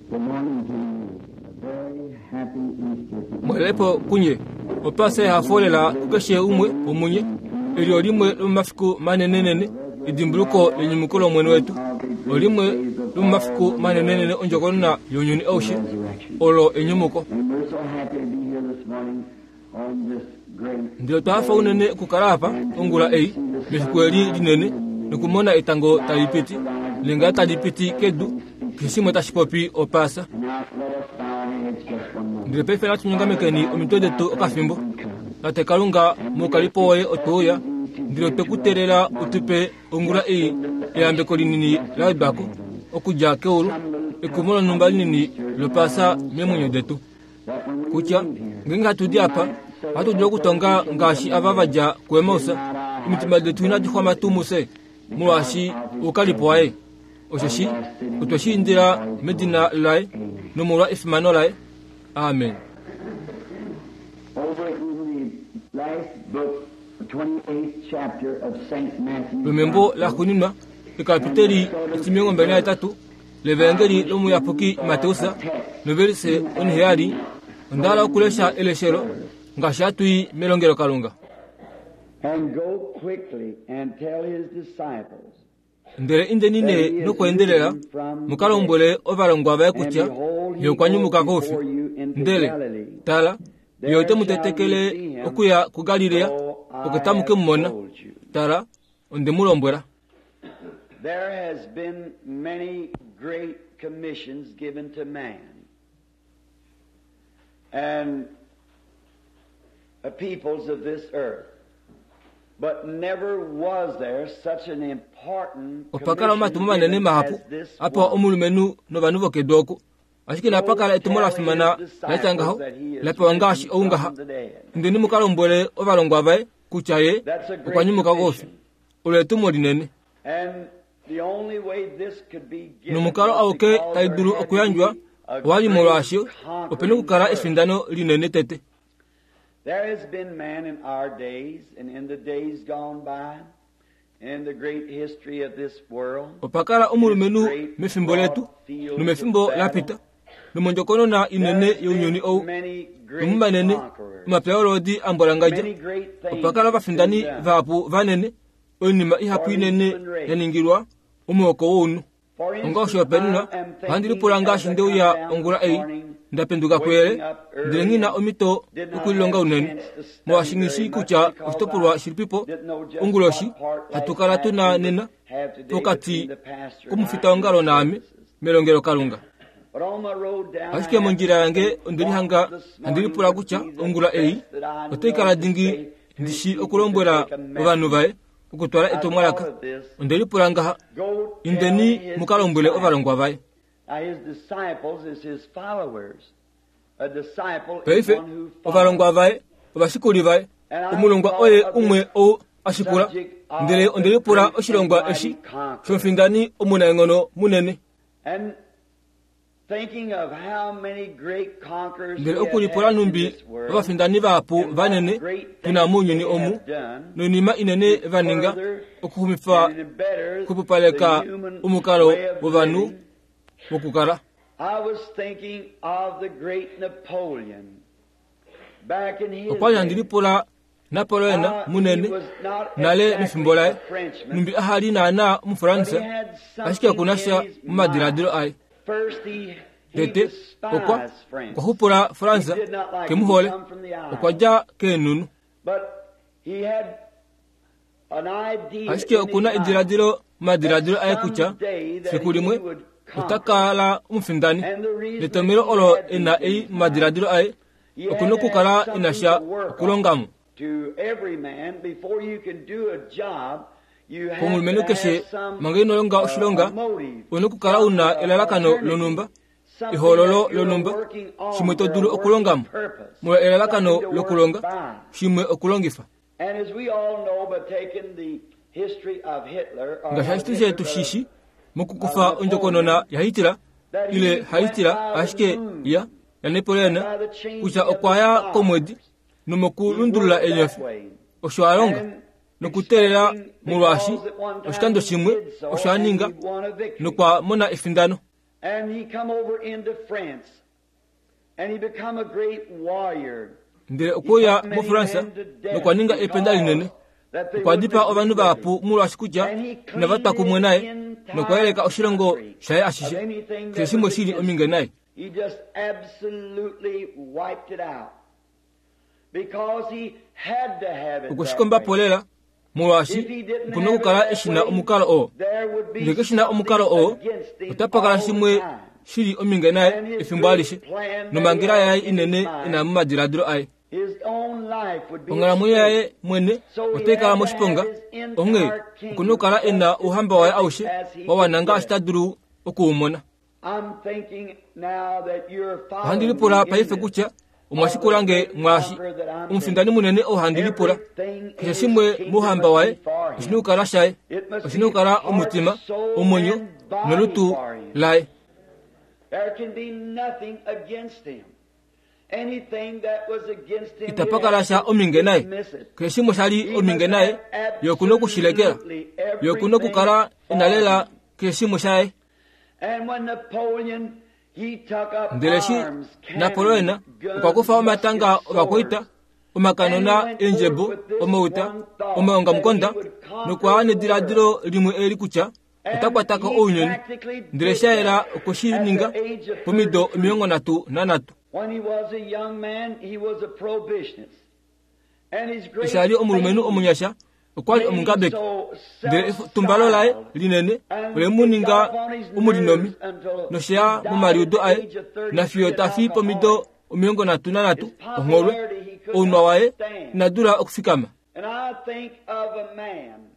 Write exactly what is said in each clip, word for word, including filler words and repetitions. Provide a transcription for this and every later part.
Good morning to you. A very happy Easter to you. Mwelepo kunye opasa yahafolela kukeshe umwe omunye elyo limwe lomumafiku manenenene edimbuluko lenyumuko lomwene wetu olimwe lomumafiku manenenene ondjokonona younyuni aushe olo enyumuko. And we're so happy to be here this morning on this great Ndele twahafa unene okukala apa ongula ei mefiku eli linene nokumona etango tali piti lenga tali piti kedu keshe shimwe tashi popi opasa. And now let us bow our heads just one moment. Ndele paife natunyongamekeni omitwe detu okafimbo. Tate Kalunga moukalipo woye otweuya ndele otwe ku teelela utupe ongula ei eyambeko linini la wedwako okudja keulu ekumo lonhumba linini lopasa meemwenyo detu. Kutya ngeenge hatu di apa ohatu dulu okutonga ngaashi ava vadja kuEmaus omitima detu inadi xwama tuu mufye molwaashi oukalipo waye. Osheshi otwe shi indila medina laye nomolwa efimano laye. Amen. Over in the last book, the twenty-eighth chapter of Saint Matthew's Lomembo laxuuninwa ekapiteli etimilongo mbali nahetatu levangeli lomuyapuki Mateus novelise onheyali onda hala okulesha eleshelo ngaashi hatuyi melongelokalunga. And go quickly and tell his disciples. Ndele indeni nee nokweendelela mukalombwele ovalongwa vaye kutya ye okwa nyumuka koufi. Ndele tala, ye ote mu tetekele okuya kuGalilea, oko tamu ke mu mona. Tala, onde mu lombwela. There has been many great commissions given to man and the peoples of this earth. But never was there such an important Opa kala commission omatumo manene given mahapu as this apewa one. omulumenhu novanhu vokedu oku. Ashike inapa kala etumo la fimana la tya ngaho la pewa ngaashi ou ngaha. Indeni mu ka lombwele ovalongwa vaye kutya ye That's a okwa great nyumuka koufi. commission. Olo etumo linene. And the only way this could be given Nomukalo was auke because tai there dulu had to okuyandjwa be a owali great molwaashi opena okukala conquering efindano linene tete. There has been man in our days and in the days gone by, in the great history of this world. Opa kala omulumenhu mefimbo letu nomefimbo la pita nomondjokonona inene younyuni ou nomumanene omapya olodi ambwalangadja. Opa kala ovafindani vahapu vanene, oinima ihapu inene ya ningilwa omuhoko wounhu. Onga oshihopaenenwa, ohandi lipula ngaashi ndeuya ongula ei nda penduka kuyele ndele nghina omhito yokulilonga unene molwaashi nghi kutya oshitopolwa shilipipo onguloshi hatu kala tuna nena pokati komufitaongalo naame melongelokalunga. Ashike mondjila yange onde lihanga handi lipula kutya ongula ei otai kala dingi ndishi okulombwela ovanhu vaye okutwala etumwalaka. Onde lipula ngaha, indeni mukalombwele ovalongwa vaye. Now his disciples is his followers. A disciple is Paife one who follows. ovalongwa vaye ovashikuli vaye omulongwa oye umwe ou ashikula. Ndele onde lipula oshilongwa eshi shomufindani omunaenghono munene. And thinking of how many great conquerors Ndele we have okulipula had in numbi this world, ovafindani vahapu and what vanene great tuna things mounyuni they omu have done, noinima inene vaninga further okuxumifa and better okupupaleka the human omukalo way of wovanhu living. wokukala. I was thinking of the great Napoleon back in his Okwali handi day. lipula Napoleon Uh, he munene was not nale exactly mefimbo laye a Frenchman, numbi ahali naana but he Omufaransa had ashike something okuna sha in his momadiladilo mind. aye. First he, he Tete okwa despised France. okwa xupula Fransa He did not like kemuhole to come from the isles. okwa dja keenhunu. But he had an idea Ashike in his okuna mind ediladilo momadiladilo aye kutya someday that fiku he limwe would ota conquer. kala omufindani. And the reason Netomelo that he olo had e na these ei in his momadiladilo aye He had okuna to have okukala e na something sha to work on. okulongamo. To every man, before you can do a job, you have Komulumenhu to keshe have some manga ino longa uh, oshilonga a motive, una okukala una uh, elalakano alternative, lonhumba something ehoololo that you're lonhumba working on shimwe to for a dulu working okulongamo purpose, molwa elalakano something to work lokulonga by. shimwe okulongifa. And as we all know, by taking the history of Hitler, or Ngaashi not ashike Hitler, shetu but of shishi mokukufa ondjokonona yaHitler that he ile went haHitler by the ashike moon ya yaNapoleon by the changing kutya of the okwa ya stars. komwedi He nomokulundulula worked that eenyofi way. osho a longa And nokuteelela expecting molwaashi because at one time oshikando he shimwe did so osho a and ninga he won a victory. nokwa mona efindano. And he come over into France. And he become a great warrior. Ndele okuya muFransa nokwa ninga ependa linene. Okwa dipaa ovanhu vahapu molwaashi kutya inava twa kumwe naye nokwa yeleka oshilongo shaye ashishe keshe shimwe shili ominge naye. He just absolutely wiped it out. Because he had to have it. Okwe shi komba po lela molwaashi okuna okukala eshina omukalo oo. Ngele keshina omukalo oo, otapa kala shimwe shili ominge naye efimbo alishe nomhangela yaye inene ina momadiladilo aye. His own life would be Onghalamwenyo yaye mwene otai kala moshiponga, onghee okuna okukala ena ouhamba waye aushe wa wana ngaashi ta dulu okuumona. I'm thinking now that you're Ohandi following lipula me in paife this. kutya omwashikula nge mwaashi omufindani munene oo handi lipula keshe shimwe mouhamba waye oshina okukala shaye, oshina okukala omutima, omwenyo nolutu laye. There can be nothing against him. Anything that was against him, Itapa kala sha ominge naye. dismiss it. Keshe shimwe shali ominge naye ye okuna okushilekela, ye okuna okukala ena lela keshe shimwe shaye. And when Napoleon, he took up Ndele shi arms, Napoleon cannons, guns, okwa kufa omatanga muskets, ovakwaita, swords, omakanona eendjebo, omauta, omaongamukonda nokwa nediladilo limwe eli kutya ota kwatako ounyuni. Ndele sha yela okwe shi ninga pomido omilongo nhatu nanhatu. When he was a young man, he was a prohibitionist. And his great Eshi ali omulumenhu omunyasha okwa li omungabeki, ndele etumbalo laye linene ole mu ninga omulinomi nosheya momaliudo aye nafiyo tafi pomido omilongo nhatu nanhatu ongholwe ounwa waye ina dula okufikama. And I think of a man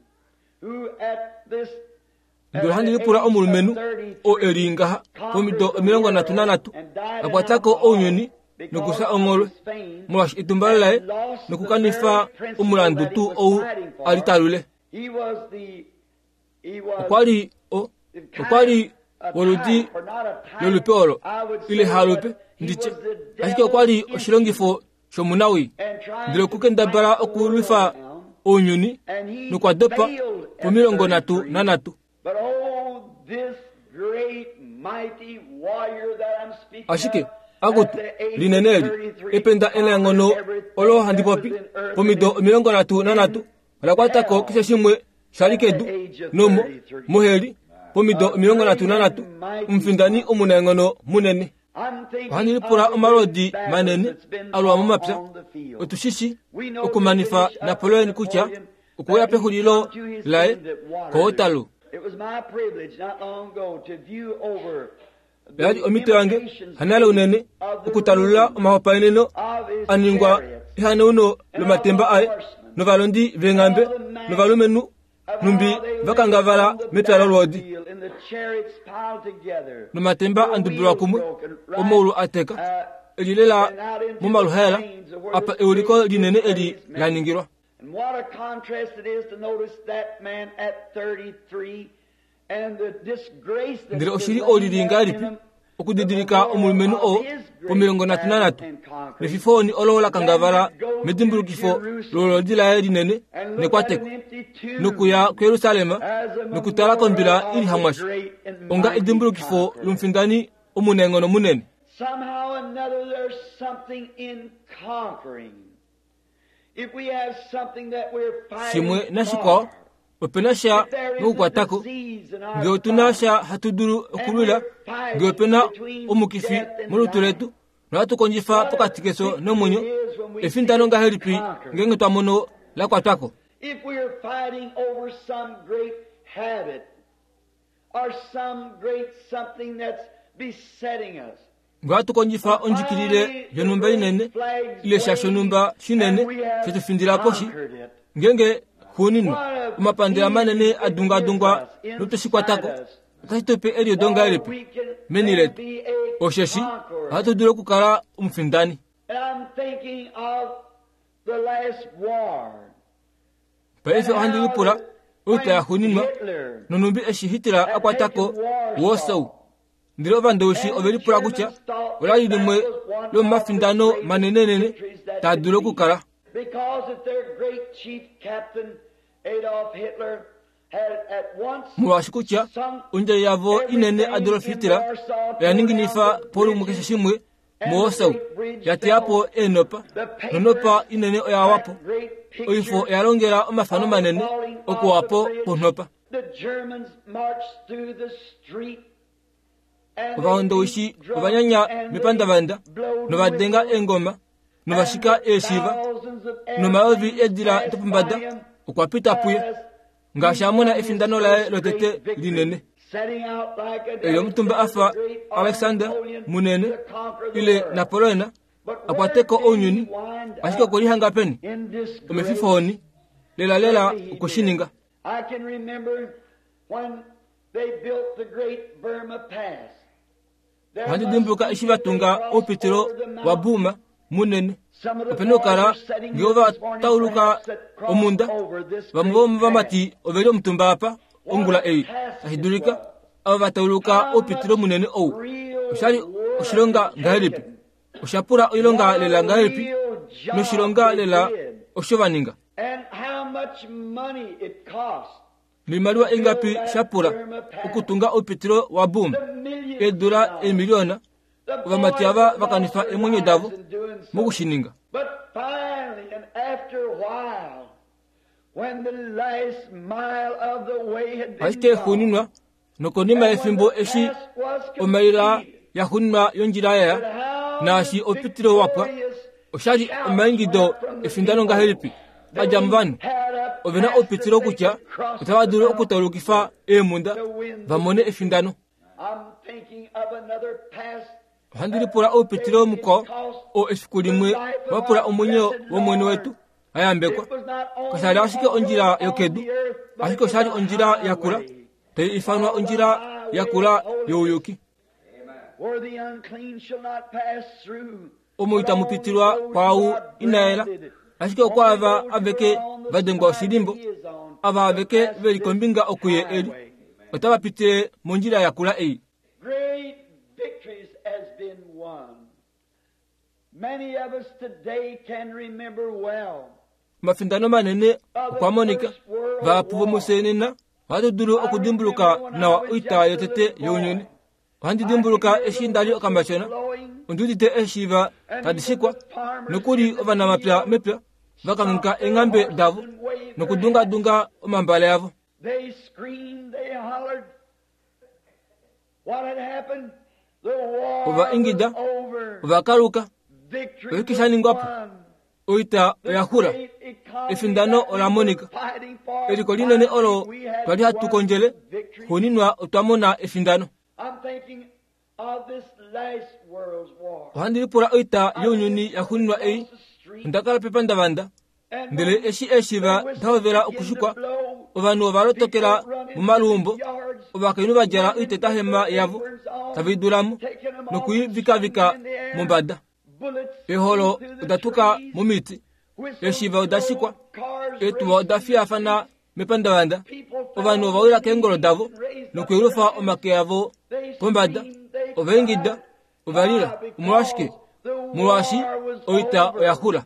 who at this Ndele ohandi lipula omulumenhu oo eli ngaha pomido omilongo nhatu nanhatu a kwatako ounyuni nokufya ongholwe molwaashi etumbalo laye nokukanifa omulandu tuu ou ali talule. He was the he was Okwa li o okwa li woludi lolupe olo ile halupe nditye, ashike okwa li oshilongifo shomunawii ndele okukendabala okulwifa ounyuni nokwa dopa pomilongo nhatu nanhatu. But oh, this great mighty warrior that I'm speaking Ashike of, akutu at the age linene eli of thirty-three, ependa enaenghono olo handi popi pomido omilongo nhatu nanhatu ola kwatako keshe shimwe shali kedu nomo moheli pomido omilongo nhatu nanhatu omufindani omunaenghono munene. I'm thinking Ohandi lipula of the omalodi great manene battles that's been alwa fought momapya. on the field. Otushishi We know the okumanifa finish of Napoleon kutya Napoleon, okuya that he pexulilo come to his laye end at Waterloo. koWaterloo. It was my privilege not long ago to view over the Oyali omhito yange imitations hanale unene of the okutalulula ruins omahopaeneno of his a ningwa chariots ehanauno lomatemba aye novalondi veenghambe novalumenhu numbi vakangavala mepya lolwoodi battlefield and the chariots piled together, nomatemba a ndubulwa kumwe omaulu a teka eli lela momaluhaela apa euliko linene eli la ningilwa. And what a contrast it is to notice that man at thirty-three and the disgrace that Ndele oshili is laying oli li there ngahelipi in him, okudidilika omulumenhu oo pomilongo nhatu nanhatu nefifoni olo la kangavala medimbulukifo lolodi laye linene and look at nekwateko an empty tomb nokuya kuYerusalem as a nokutala kombila memorial ili of the hamwasha great and onga mighty edimbulukifo conqueror. lomufindani omunaenghono munene. Somehow or another, there's something in conquering. If we have something that we're fighting Shimwe nashikwao for, opena sha if there is a nokukwatako disease in our ngele otuna body, sha hatu dulu okulwila ngele opena omukifi molutu letu nohatu kondjifa pokati keso nomwenyo efindano ngahelipi ngeenge twa mono la kwatwako. if we are fighting over some great habit or some great something that's besetting us, Ngele ohatu kondjifa ondjikilile yonhumba inene ile sha shonhumba shinene shetufindila poshi ngeenge xuuninwa omapandela manene a dungadungwa notweshikwatako otashi tupe eliudo ngahelipi meni letu osheshi ohatu dulu okukala omufindani. And I'm thinking of the last war. Paife ohandi lipula oita yaxuuninwa nonhumbi eshi Hitler a kwatako Warsaw. Ndele ovandowishi ove lipula kutya olali limwe lomomafindano manenenene taa dulu okukala. Because if their great chief captain Adolf Hitler Molwaashi kutya ondjai yavo inene Adolf Hitler oya ninginifa polumwe keshe shimwe muWarsaw, ya teya po eenopa, nonopa inene oya wa po. Oifo oya longela omafano manene okuwa po kwonopa. Ovahondowishi ovanyanya mepandavanda novadenga eengoma novashika eeshiva nomayovi eedila dopombada okwa pita puye ngaashi a mona efindano laye lotete linene. Eli omutumba afa Alexander munene ile Napoleon akwateko ounyuni, ashike okwe lihanga peni omefifoni lela lela okushininga. Ohandi dimbuluka eshi vatunga oupitilo wa Burma munene. Opena okukala ngee ova tauluka omunda, vamwe vomovamati oveli omutumba apa ongula ei, tashi dulika ava vatauluka oupitilo munene ou. Oshali oshilonga ngahelipi? Osha pula oilonga lela ngahelipi? Noshilonga lela osho vaninga. Noimaliwa ingapi sha pula okutunga oupitilo wa Burma? Eedula eemiliona ovamati ava vakanifa eemwenyo davo mokushininga. Ashike xuuninwa nokonima yefimbo eshi omaila yaxuuninwa yondjila yaya naashi oupitilo wapwa, oshali omaingido efindano ngahelipi adja movanhu. Ovena oupitilo kutya otava dulu okutaulukifa eemhunda vamone efindano. Ohandi lipula oupitilo mukwao oo efiku limwe wa pula omwenyo womwene wetu ayambekwa. Kashali ashike ondjila yokedu, ashike oshali ondjila yakula tai ifanwa ondjila yakula youyuki. Omo itamu pitilwa kwaau inaela, ashike okwaava aveke vadengwa oshilimbo, ava aveke veli kombinga okuye eli, otava pitile mondjila yakula ei. Omafindano manene okwa monika. Vahapu vomufye nena ohatu dulu okudimbuluka nawa oita yotete younyuni. Ohandi dimbuluka eshi ndali okamatyona, ondi udite eeshiiva tadi shikwa, nokuli ovanamapya mepya vakanghika eenghambe davo nokudungadunga omambale avo. Ova ingida, ova kaluka, oshike sha ningwa po? Oita oya xula, efindano ola monika. Eliko linene olo twali hatu kondjele, xuuninwa otwa mona efindano. Ohandi lipula oita younyuni yaxuuninwa ei. Onda kala pepandavanda, ndele eshi eeshiva da hovela okushikwa, ovanhu ova lotokela momaluumbo, ovakainhu va djala oitetahema yavo tave i dula mo nokuivikavika mombada. Eeholo oda tuka momiti, eeshiva oda shikwa, eetuwa oda fiyafana mepandavanda, ovanhu ova wila keengolo davo nokuyelufa omake avo pombada, ova ingida, ova lila. Omolwashike? Molwaashi oita oya xula.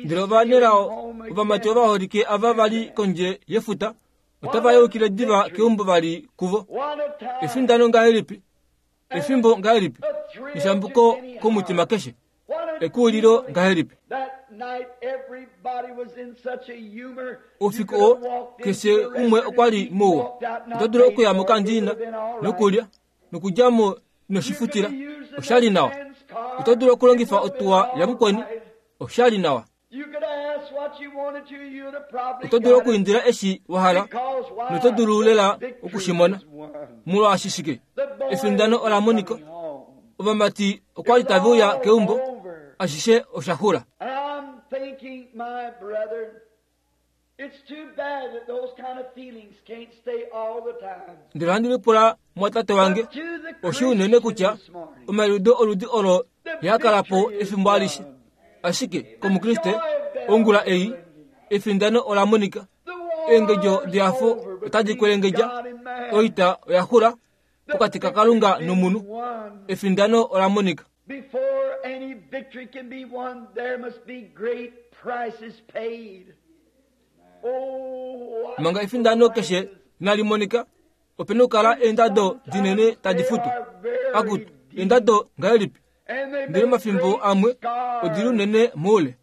Ndele ovanelao ovamati ovaholike ava vali kondje yefuta otava yeukile diva keumbo vali kuvo. Efindano ngahelipi? Efimbo ngahelipi? Neshambuko komutima keshe. Ekuulilo ngahelipi? Oufiku oo keshe umwe okwa li mouwa. Oto dulu okuya mokandiina nokulya nokudja mo noshifutila, oshali nawa. Oto dulu okulongifa otuwa yamukweni, oshali nawa. Oto dulu okuindila eshi wa hala noto dulu lela okushimona. Molwaashi shike? Efindano ola monika. Ovamati okwa li tave uya keumbo, ashishe osha xula. Ndele ohandi lipula mwatate wange, oshi unene kutya omaliudo oludi olo ihaa kala po efimbo alishe. Ashike komukriste ongula ei efindano ola monika. Eengedjo dehafo otadi kwelengedja, oita oya xula pokati kaKalunga nomunhu. Efindano ola monika. victory can be won, there must be great prices paid. Oh, what manga efindano keshe inali monika opena okukala eendado dinene tadi futu akutu eendado ngahelipi And they ndele make mafimbo great amwe scars. odili unene moule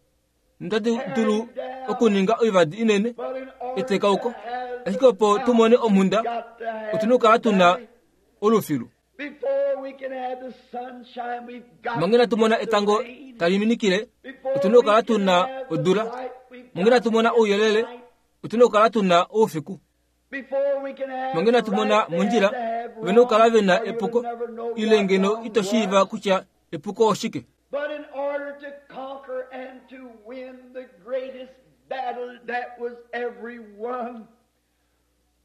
notadi dulu okuninga oivadi inene But in order etekauko to have ashike opo the tumone omhunda got to have otuna okukala tuna valley. olufilu Before we can have the sunshine, we've got manga inatu mona to get the etango rain. tali minikile Before otuna okukala we can tuna have the odula light, we've manga got inatu mona to get ouyelele the light. otuna okukala tuna oufiku Before we can have manga inatu mona right, they mondjila have to have vena okukala wrong, vena or you'll epuko never know ile what ngeno wrong ito shiiva was. kutya epuko oshike But in order to conquer and to win the greatest battle that was ever won,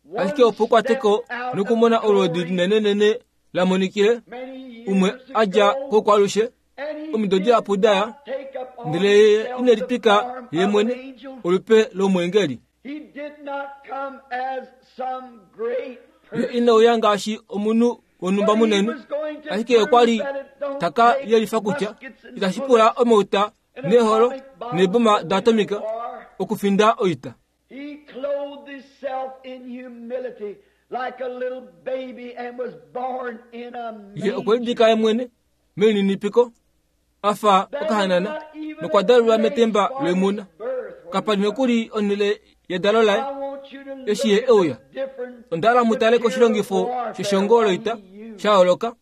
one ashike opo ukwateko step out nokumona of olwoodi glory linenenene la monikile many umwe years adja ago, kokwalushe and he omido did dihapu daya not take upon ndele ye himself ine the litwika form ye of mwene an angel. olupe lomwengeli He did not come as some great ye person. inauya ngaashi omunhu wonhumba But he munene was going to ashike okwa li prove that it don't taka take yelifa kutya muskets and itashi pula bullets omauta and neeholo atomic bombs neeboma to win daatomika a war. okufinda oita He clothed himself in humility like a little baby and was born in a ye okwe manger. lidika ye mwene melininipiko afa There was okahanana not even nokwa a dalelwa place metemba for loimuna his birth when kapa he li nokuli onhele yedalo laye I want you to look eshi ye at the euya different onda hala mutale koshilongifo material warfare sheshongo what loita he used. sha yooloka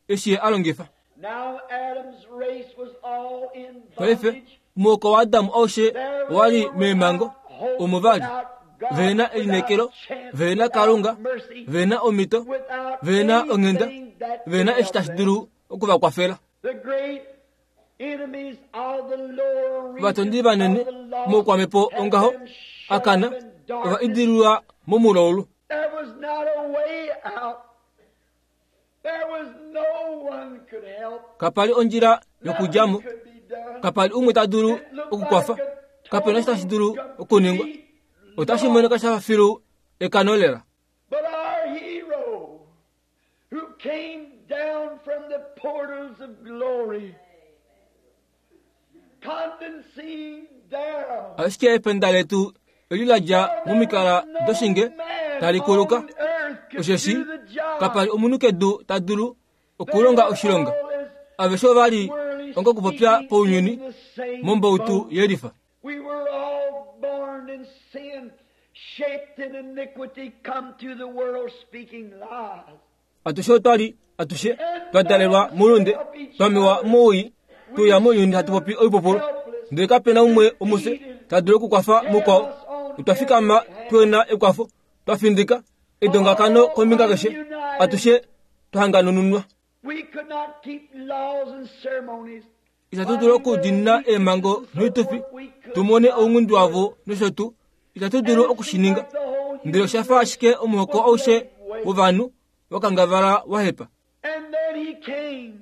eshi ye a longifa Now Adam's race was all in paife bondage. omuhoko waadamu aushe There owa li they were meemhango without hope, omo vali without God, vena elineekelo without chance, vena without kalunga mercy, vena omhito without vena onghenda anything that could vena eshi help tashi them. dulu okuvakwafela The great enemies of the lower ovatondi regions vanene of the lost moukwamhepo had ongaho them shut akana up in ova darkness. idililwa momulaulu There was not a way out. There was no one could help. kapali ondjila yokudjamo Nothing could be done. kapali umwe ta dulu It looked okukwafa like a kapena eshi tashi dulu total, okuningwa complete otashi loss. monika shafa filu ekano lela But our hero, who came down from the portals of glory, condescending down, ashike ependa letu eli la dja momikala doshinge tali kuluka osheshi kapali omunhu kedu ta dulu okulonga oshilonga aveshe ovali onga okupopya pounyuni mombautu yelifa We were all born in sin, shaped in iniquity, come to the world speaking lies. atushe otwali atushe twa dalelwa mulunde twamewa mowii tuya mounyuni hatu popi oipupulu ndele kapena umwe omufye ta dulu okukwafa mukwao otwa fikama tuena ekwafo twafindika edongakano kombinga keshe atushe twahanganununwa We could not keep laws and ceremonies. itatu dulu okudiinina eemhango noitufi tumone ounghundi wavo nosho tuu itatu dulu okushininga ndele oshafa ashike omuhoko aushe wovanhu wakangavala wahepa And then he came.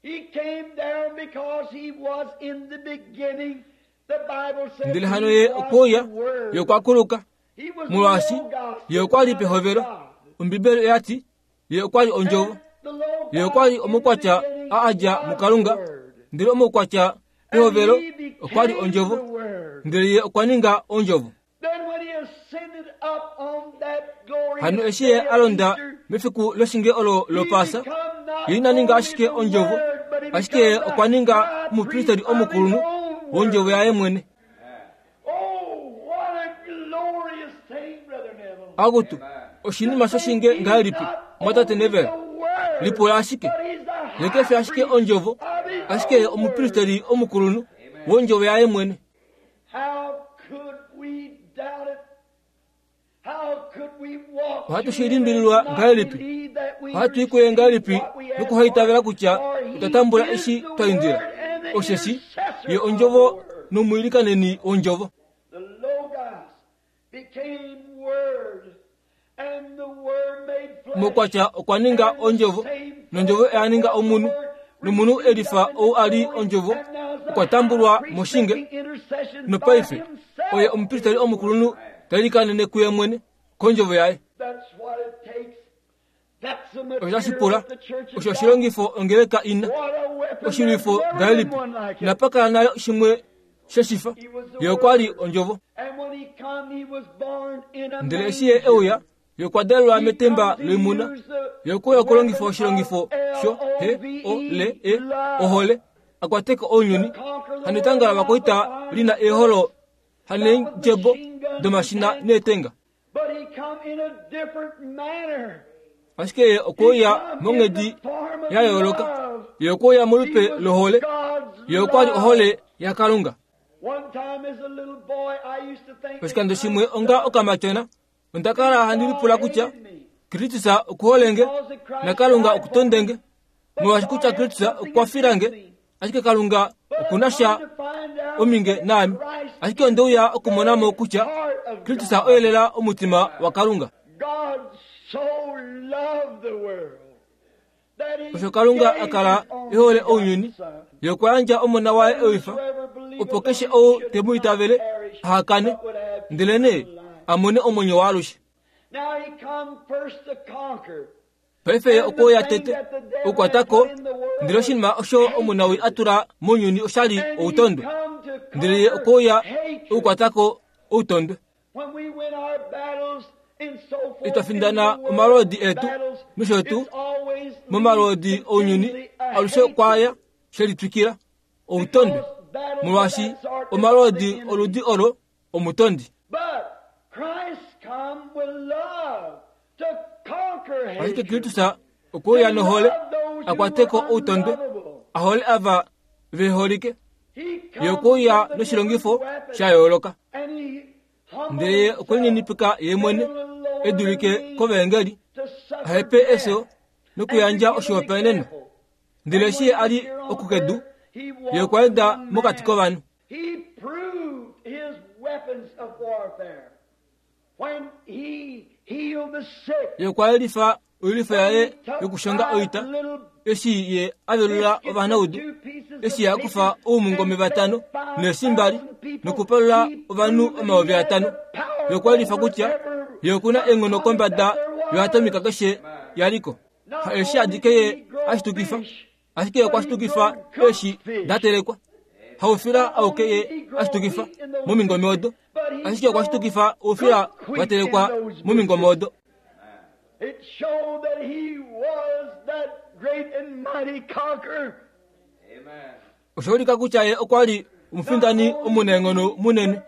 He came down because he was in the beginning. The Bible says ndele hano he ye was okweuya the Word. ye okwakuluka He was molwaashi Logos, ye okwali the pehovelo Son of God. ombibeli oyati ye okwali ondjovo And the Logos ye okwali in the omukwatya beginning a adja was mukalunga the Word. ndele omukwatya And pehovelo he became okwali ondjovo the Word. ndele ye okwa ninga ondjovo Then when he ascended up on that glorious hano eshi ye day of a londa Easter, mefiku loshinge olo he lopaasa become not ye ina ninga only ashike the ondjovo Word, but he ashike ye become the okwa ninga high omupristeli priest of his omukulunhu own wondjovo word. yaye mwene Oh, what a glorious thing, Brother Neville. akutu oshinima shoshinge ngahelipi mwatate Neville lipula ashike ye kefi ashike ondjovo ashike ye omupristeli omukulunhu wondjovo yaye mwene How could we doubt it? How could we walk Ohatu to shi him limbililwa and not ngahelipi? believe that we Ohatu i kuye ngahelipi received what we asked nokuhaitavela kutya for? For he otwa tambula is eshi the twa indila Word and the osheshi intercessor ye of the ondjovo Word. nomwiilikaneni wondjovo The Logos became Word, and the Word made flesh. mokwatya okwa ninga ondjovo nondjovo oya ninga omunhu nomunhu elifa ou a li ondjovo okwa tambulwa moshinge nopaife oye omupristeli omukulunhu ta ilikanene kuye mwene kondjovo yaye That's what it takes. Osho tashi pula osho oshilongifo ongeleka ina oshilwifo ngahelipi inapa kala nale shimwe sheshifa. Ye okwa li ondjovo. Ndele eshi ye euya, ye okwa dalelwa metemba loimuna. Ye okwe uya okulongifa oshilongifo sho H O L E ohole akwateko ounyuni. Hano etanga lovakwaita lina eeholo haneendjebo domashina neetenga. Ashike ye okwe uya monghedi ya yooloka. Ye okwe uya molupe lohole. Ye okwa li ohole yaKalunga. Oshikando shimwe onga okamatyona, onda kala handi lipula kutya Kristus okuholenge naKalunga okutondenge, molwaashi kutya Kristus okwa filange, ashike Kalunga okuna sha ominge naame. Ashike onde uya okumonamo kutya Kristus oyelela omutima waKalunga. Osho Kalunga akala ehole ounyuni, ye okwa yandja omona waye ewifa, opo keshe ou te mu itavele ahakane, ndelenee a mone omwenyo waalushe. Paife ye okwe uya tete okukwatako, ndele oshinima osho omunawii a tula mounyuni oshali outondwe, ndele ye okwe uya okukwatako outondwe. Itwa findana omalwoodi etu nosho tuu momalwoodi ounyuni alushe kwaya shelitwikila outondwe, molwaashi omalwoodi oludi olo omutondi. Ashike Kristus okwe uya nohole akwateko outondwe, ahole ava veholike. Ye okwe uya noshilongifo sha yooloka. Ndele ye okwe lininipika ye mwene e dulike kovaengeli, ahepe efyo nokuyandja oshihopaenenwa. Ndele eshi ye a li okukedu, ye okwa enda mokati kovanhu. Ye okwa yelifa oilwifo yaye yokushonga oita eshi ye a velula ovanaudu, eshi ye a kufa oumungome vatano neeshi mbali nokupalula ovanhu omayovi atano. Ye okwa yelifa kutya ye okuna eenghono kombada yoatomika keshe yaliko. Ha eshi adike ye a shitukifa, ashike okwa shitukifa eeshi da telekwa. Haufila auke ye a shitukifa momingome odo, ashike okwa shitukifa oufila wa telekwa momingome odo. It showed that he was that great and mighty conqueror. Osha ulika kutya ye okwa li omufindani omunaenghono munene.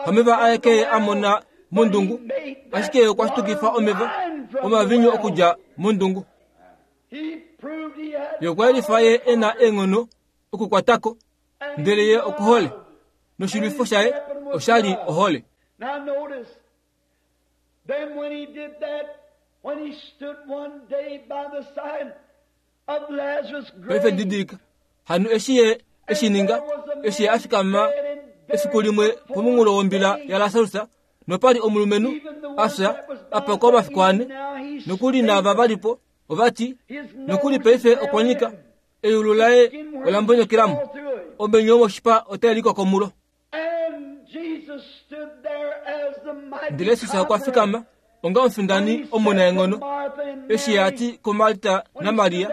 Hameva aeke ye a mona mondungu, ashike ye okwa shitukifa omeva omavinyu okudja mondungu. Ye okwa yelifa ye e na eenghono okukwatako, ndele ye okuhole, noshilwifo shaye osha li ohole. Now notice, then when he did that, when he stood one day by the side of Lazarus' Paife grave, didilika, hano eshi ye eshi ninga, eshi ye a fikama efiku limwe pomunghulo wombila yaLasarus, nopali omulumenhu a fya a pakwa omafiku ane, nokuli naava valipo ovati, nokuli paife okwa nyika, eyulu laye ola mbonyokela omenyo womoshipa otai likoko mulo. and Jesus stood there as the mighty Ndele Jesus okwa conqueror. fikama onga omufindani omunaenghono, eshi ye a ti kuMarta naMaria,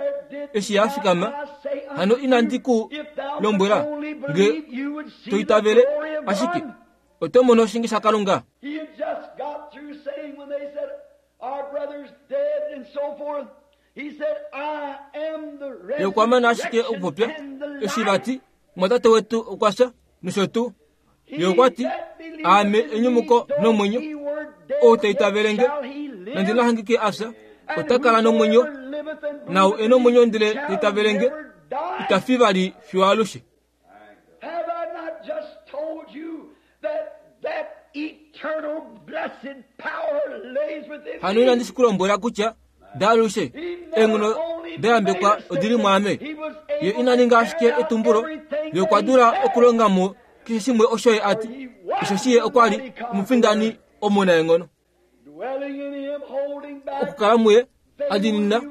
eshi ye a fikama, hano inandi ku lombwela nge to itavele, ashike oto mono oshinge shaKalunga. He had just got through saying when they said, our brother's dead and so forth, he said, I am the Ye okwa mana ashike resurrection okupopya and the eshi life. vati mwatate wetu okwa fya nosho tuu. Ye okwa ti, aame enyumuko nomwenyo, ou ta itavele nge, nande na hangike a fya, ota kala nomwenyo, nau e nomwenyo ndele ta itavele nge, ita fi vali fiyo alushe. Have I not just told you that that eternal blessed power lays within Hano me? inandi shi ku lombwela kutya daalushe eenghono dayambekwa odili mwaame. Ye ina ninga ashike etumbulo, ye okwa dula okulonga mo keshe shimwe osho ye a ti, osheshi ye okwa li omufindani omunaenghono. Dwelling in him, holding back Okukala muye adinina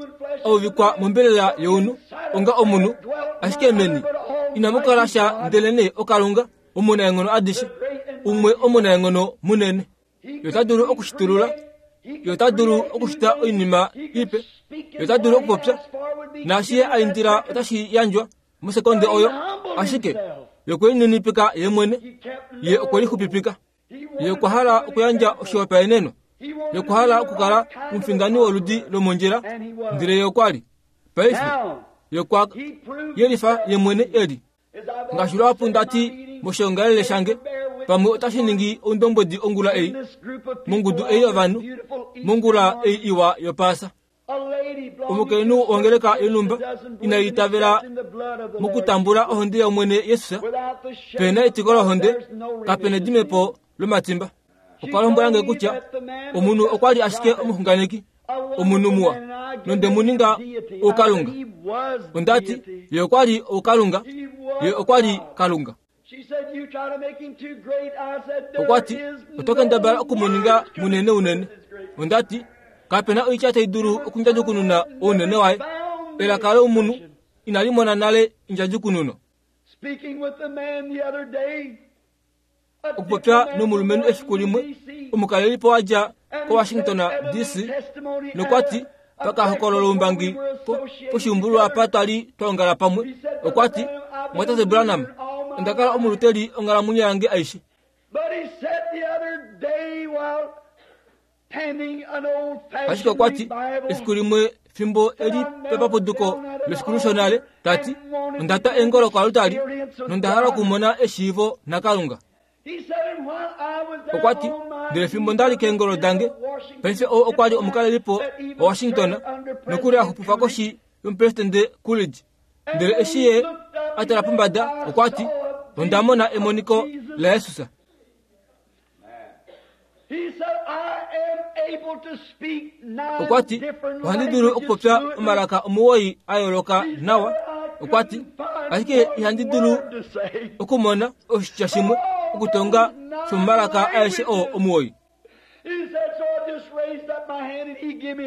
auvikwa mombelela younhu onga omunhu, ashike meni inamu kala sha ndelenee oKalunga omunaenghono adishe, umwe omunaenghono munene. Ye ota dulu okushitulula Ye ota dulu okushita oinima ipe. Ye ota dulu okupopya. Naashi ye a indila otashi yandjwa mosekonde oyo. Ashike ye okwe lininipika ye mwene. Ye okwe lixupipika. Ye okwa hala okuyandja oshihopaenenwa. Ye okwa hala okukala omufindani woludi lomondjila, ndele ye okwa li. Paife ye okwa yelifa ye mwene eli. Ngaashi lwahapu nda ti moshiongalele shange, pamwe otashi ningi oundombwedi ongula ei, mongudu ei yovanhu, mongula ei iwa yopaasa. Omukainhu wongeleka yonhumba inai itavela mokutambula ohonde yOmwene Jesus, pena etiko lohonde, kapena edimepo lomatimba. Okwa lombwela nge kutya omunhu okwa li ashike omuxunganeki, omunhu muwa, nonde mu ninga oukalunga. Onda ti, ye okwa li oukalunga, ye okwa li Kalunga. Okwa ti, oto kendabala oku mu ninga munene unene. Onda ti, kapena oitya tai dulu okundjadjukununa ounene waye. Elaka lomunhu inali mona nale endjadjukununo. Okupopya nomulumenhu efiku limwe, omukalelipo wa dja koWashington D C, nokwa ti pakahokololo oumbangi poshiumbulwa apa twa li twa ongala pamwe, okwa ti, Mwatate Branham, onda kala omuluteli onghalamwenyo yange aishe. Ashike okwa ti, efiku limwe fimbo eli pepapuduko lefiku shonale, ta ti, onda twa eengolo koaltari nonda hala okumona eshiivo naKalunga. Okwa ti, ndele fimbo nda li keengolo dange, paife oo okwa li omukalelipo waWashington, nokuli a xupifa koshi yomupresidente Coolidge. Ndele eshi ye a tala pombada, okwa ti, onda mona emoniko laJesus. Okwa ti, ohandi dulu okupopya omalaka omuwoi a yooloka nawa. Okwa ti, ashike ihandi dulu okumona oshitya shimwe okutonga shomomalaka aeshe oo omuwoi.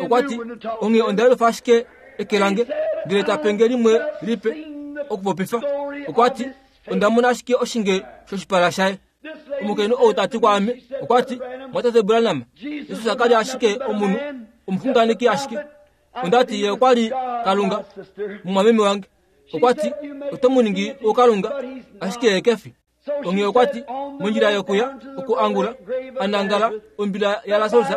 Okwa ti, onghee onda yelufa ashike eke lange, ndele ta penge limwe lipe okupopifa. Okwa ti, onda mona ashike oshinge shoshipala shaye. Omukainhu ou ta ti kwaame, okwa ti, Mwatate Branham, Jesus ka li ashike omunhu, omuxunganeki ashike. Onda ti, ye okwa li Kalunga, mumwameme wange. Okwa ti, oto mu ningi oukalunga, ashike ye kefi. Onghee okwa ti, mondjila yokuya okuangula, anangala ombila yaLasarus,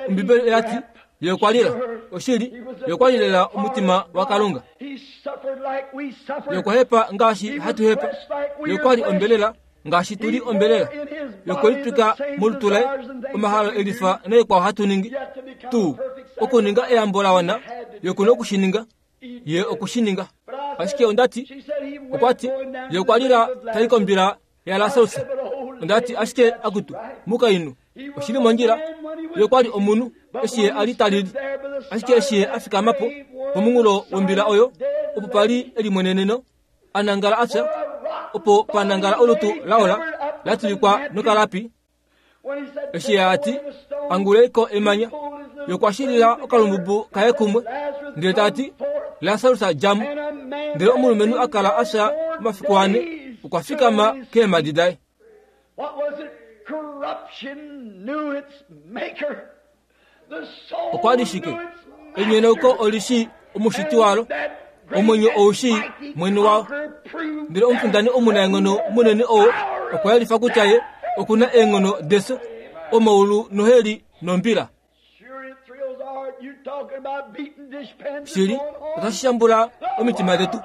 Ombibeli oya ti, ye okwa lila. Oshili, ye okwa lilela omutima waKalunga. Ye okwa hepa ngaashi hatu hepa. Ye okwa li ombelela ngaashi tu li ombelela. Ye okwe litwika molutu laye omahalo elifa naikwao hatu ningi. Tuu okuninga eyambo la wana, ye oku na oku shi ninga. Ye oku shi ninga. Ashike onda ti, okwa ti, ye okwa lila tai kombila yaLasarus. Onda ti, ashike akutu, mukainhu, oshili mondjila. Ye okwa li omunhu eshi ye a li ta lili. Ashike eshi ye a fikama po pomunghulo wombila oyo, opo pa li elimweneneno, a nangala a fya, opo pa nangala olutu laola la tulikwa nokalapi. Eshi ye a ti, anguleiko emanya, ye okwa shilila okalumbubu kaye kumwe, ndele ta ti, Lasarus dja mo. Ndele omulumenhu a kala a fya omafiku ane, okwa fikama keemhadi daye. Okwa li shike? Enyonauko oli shii omushiti walo, omwenyo ou shii mwene wao. Ndele omufindani omunaenghono munene oo okwa yelifa kutya ye oku na eenghono defyo, omaulu noheli nombila. Shili, otashi shambula omitima detu.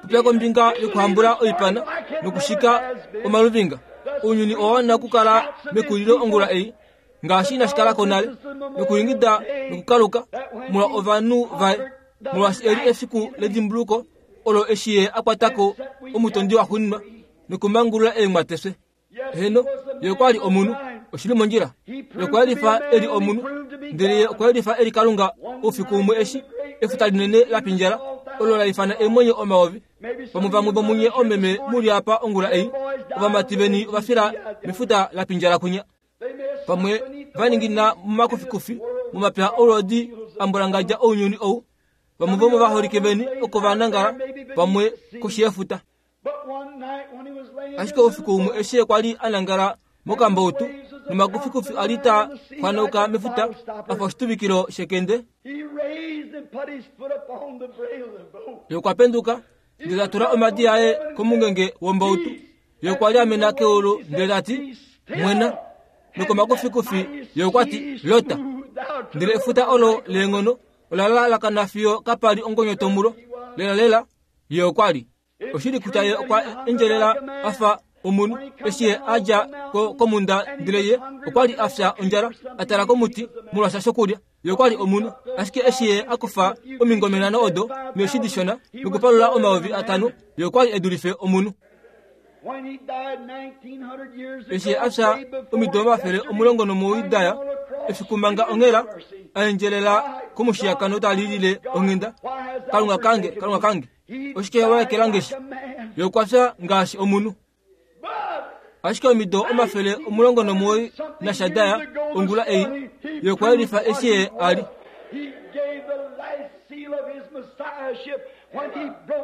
Popya kombinga yokuhambula oipana nokushika omaluvinga. Ounyuni owa wana okukala mekulilo ongula ei, ngaashi inashi kala ko nale, nokulingida nokukaluka molwa ovanhu vaye, molwaashi eli efiku ledimbuluko olo eshi ye a kwata ko omutondi waxuuninwa nokumangulula eenghwate fye. Heno, ye okwa li omunhu, oshili mondjila. Ye okwa yelifa e li omunhu, ndele ye okwa yelifa e li Kalunga oufiku umwe eshi efuta linene la pindjala, olo la ifana eemwenyo omayovi. Vamwe vamwe vomunye omeme mu li apa ongula ei, ovamati veni ova fila mefuta la pindjala kwinya. Pamwe va ningina momakufikufi, momapya oulodi a mbwalangadja ounyuni ou. Vamwe vomovaholike veni oko va nangala, pamwe koshi yefuta. Ashike oufiku umwe eshi ye kwa li a nangala mokambautu, Nomakufikufi a li taa xwanauka mefuta afa oshituvikilo shekende. Ye okwa penduka ndele ta tula omadi aye komungenge wombautu. Ye okwa liamena keulu ndele ta ti, mwena. Nokomakufikufi ye okwa ti, lota. Ndele efuta olo leenghono ola lalakana fiyo kapa li ongonyoto mulo. Lelalela ye okwa li. Oshili kutya ye okwa endjelela a fa omunhu eshi ye a dja ko komunda ndele ye okwa li a fya ondjala a tala komuti molwasha shokulya. Ye okwa li omunhu, ashike eshi ye a kufa omingome nhano odo neeshi dishona nokupalula omayovi atano, ye okwa li e dulife omunhu. Eshi ye a fya omido omafele omulongo nomuwoi daya, efiku manga onghela a endjelela komushiyakano ta lilile onghenda, Kalunga kange, Kalunga kange, oshike wa ekela nge shi? Ye okwa fya ngaashi omunhu. Ashike omido omafele omulongo nomuwoi nashadaya ongula ei, ye okwa yelifa eshi ye a li.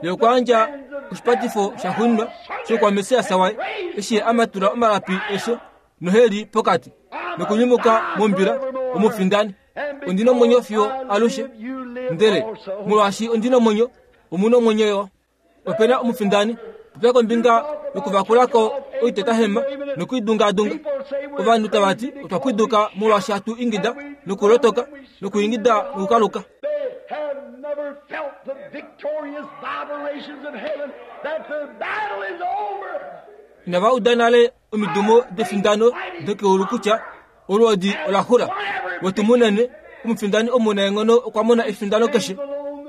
Ye okwa yandja oshipatifo shaxuuninwa shoukwamessias waye eshi ye a matula omalapi esho noheli pokati nokunyumuka mombila omufindani. Ondi nomwenyo fiyo alushe, ndele molwaashi ondi nomwenyo, omu nomwenyo yo. Opena omufindani. Popya kombinga yokuvakulako oitetahema nokuidungaadunga. Ovanhu tava ti otwa pwiduka molwaashi hatu ingida nokulotoka nokuingida nokukaluka. Inava uda nale omidumo defindano dokeulu kutya olwoodi ola xula. Wetu munene, omufindani omunaenghono okwa mona efindano keshe.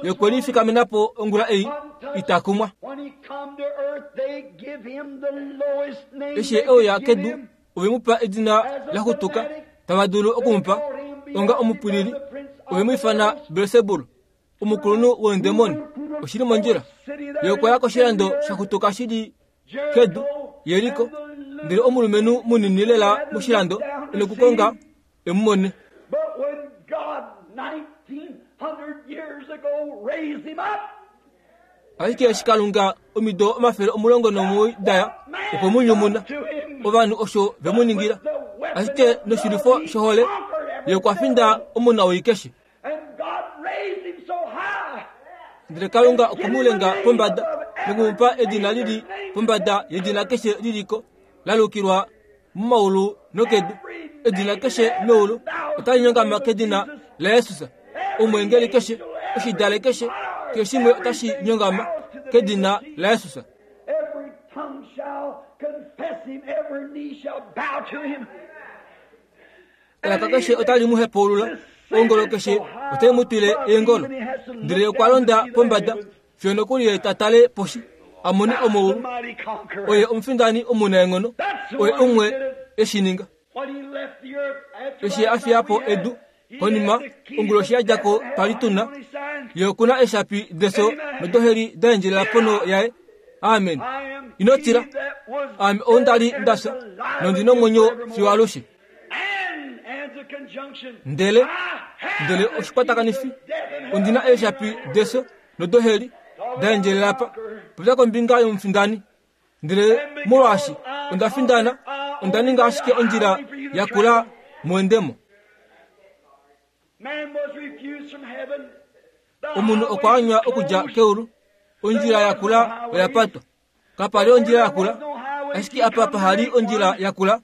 Ye okwe lifikamena po ongula ei ita kumwa. Eshi ye euya kedu, ove mu pa edina la xutuka tava dulu okumupa onga omupwilili. Ove mu ifana Belsebul, omukulunhu weendemoni. Oshili mondjila. Ye okwa ya koshilando sha xutuka shi li kedu, Jeriko, ndele omulumenhu munini lela moshilando e nokukonga e mu mone. Ashike eshi Kalunga omido omafele omulongo nomuwoi daya okwe mu nyumuna, ovanhu osho ve mu ningila. Ashike noshilwifo shohole ye okwa finda omunawii keshe. Ndele Kalunga okwe mu lenga pombada nokumupa edina lili pombada yedina keshe liliko la lukilwa momaulu nokedu. Edina keshe meulu otali nyongama kedina laJesus. Omweengeli keshe, oshidale keshe, keshe shimwe otashi nyongama kedina laJesus. Elaka keshe otali mu hepaulula, ongolo keshe otai mu twile eengolo. Ndele okwa londa pombada fiyo nokuli ye ta tale poshi a mone omaulu. Oye omufindani omunaenghono, oye umwe e shi ninga. Eshi a fiya po edu konima onguloshi ya dja ko twa li tuna, ye okuna eeshapi defyo nodoheli da endjelela ponho yaye. Amen. Ino tila, aame ou nda li nda fya nondi nomwenyo fiyo alushe. Ndele ndele oshikwatakanifi, ondi na eeshapi defyo nodoheli da endjelela pa. Popya kombinga yomufindani. Ndele molwaashi onda findana, onda ninga ashike ondjila ya kula muendemo. Omunhu okwa anywa okudja keulu, ondjila ya kula oya patwa. Kapa li ondjila ya kula, ashike apa paha li ondjila ya kula,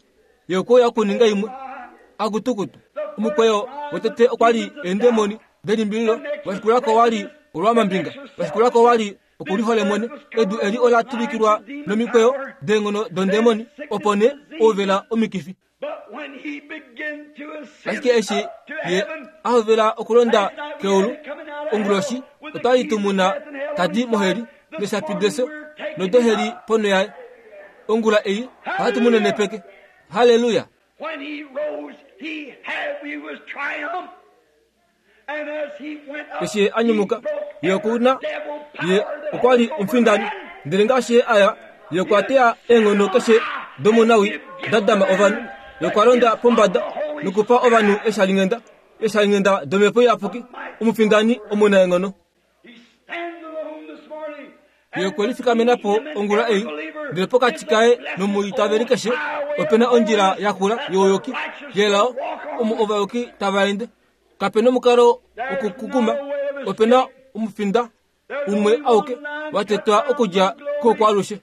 ye okwe uya okuninga imwe. Akutukutu. Omukweyo wotete okwa li eendemoni delimbililo, washikulako wa li olwamambinga, washikulako wa li okuliholemwene. Edu eli ola tuvikilwa nomikweyo deenghono dondemoni, opo nee ouvela omikifi. Ashike eshi ye a hovela okulonda keulu onguloshi, otwa li tu muna ta di moheli neshapi defyo nodoheli ponho yaye. Ongula ei ohatu mu nenepeke. Halleluya! Eshi ye a nyumuka, ye oku na ye okwa li omufindani. Ndele ngaashi ye a ya, ye okwa teya eenghono keshe domunawi da dama ovanhu. Ye okwa londa pombada nokupa ovanhu eeshalinghenda, eeshalinghenda domhepo iyapuki, omufindani omunaenghono. Ye okwe lifikamena po ongula ei, ndele pokati kaye nomwiitaveli keshe opena ondjila yakula youyuki yelao omo ovayuki tava ende. Kapena omukalo wokukukuma, opena omufinda umwe auke watetwa okudja koukwalushe.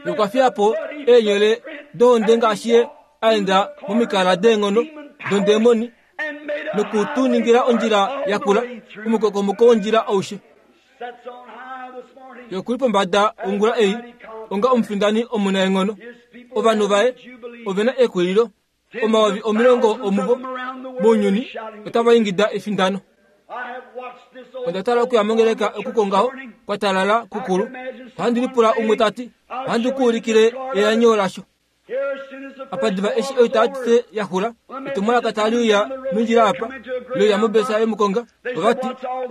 Okwa fiya po eenyele dohonde ngaashi ye aenda momikala deenghono dondemoni nokutuningila ondjila yakula omukokomoko wondjila aushe. Yokuli pombada ongula ei onga omufindani omunaenghono. Ovanhu vaye ovena ekwililo omayovi omilongo omuvo mounyuni otava ingida efindano. Onda tala okuya mongeleka okukongaho kwa talala kukulu. Ohandi lipula umwe tati ohandi kuulikile eanyo lasho. Apa diva eshi oitaatise yaxula etumwalaka tali uya mondjila apa loya mobesa yomukonga ovati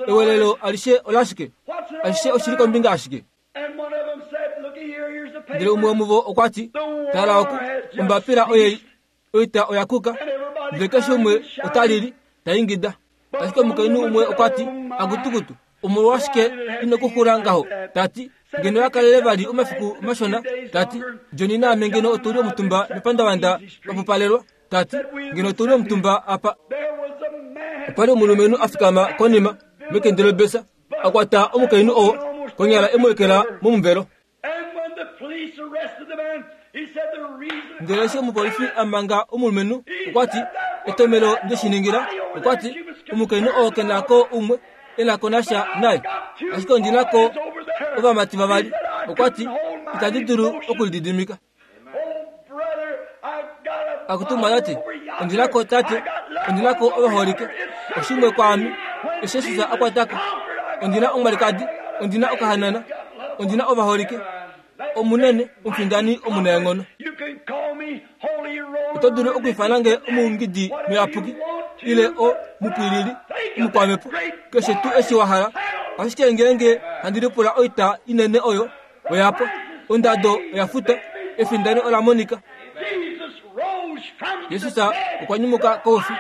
ewelelo alishe olashike ashishe oshili kombinga ashike. Ndele umwe womuvo okwa ti tala oku ombapila oyei oita oyakuka ndele keshe umwe otalili taingida. Ashike omukainhu umwe okwa ti akutukutu omolwashike ino kuxula ngaho tati ngeno yakalele vali omafiku mashona tati Johnny naame ngeno otuli omutumba mepandavanda papupalelwa tati ngeno otuli omutumba apa. Opali omulumenhu afikama konima mekende lobesa akwata omukainhu oo konyala emwekela momuvelo. Ndele eshi omupolifi amanga omulumenhu okwa ti etomelo ndeshiningila okwa ti omukainhu oo kenako umwe enako nasha naye ashike ondinako ovamati vavali okwa ti itandi dulu okulididimika. Akutuma tati ondinako tate ondinako ovaholike oshimwe kwaame eshi Jesus akwatako ondina omwalikadi ondina okahanana ondina ovaholike omunene omufindani omunaenghono. Oto dulu okwiifana nge omuungidi muyapuki ile o mupwilili omukwamepo keshe tuu eshi wa hala ashike ngeenge handi lipula oita inene oyo oyapwa ondado oyafuta efindano ola monika. Jesus okwa nyumuka koufi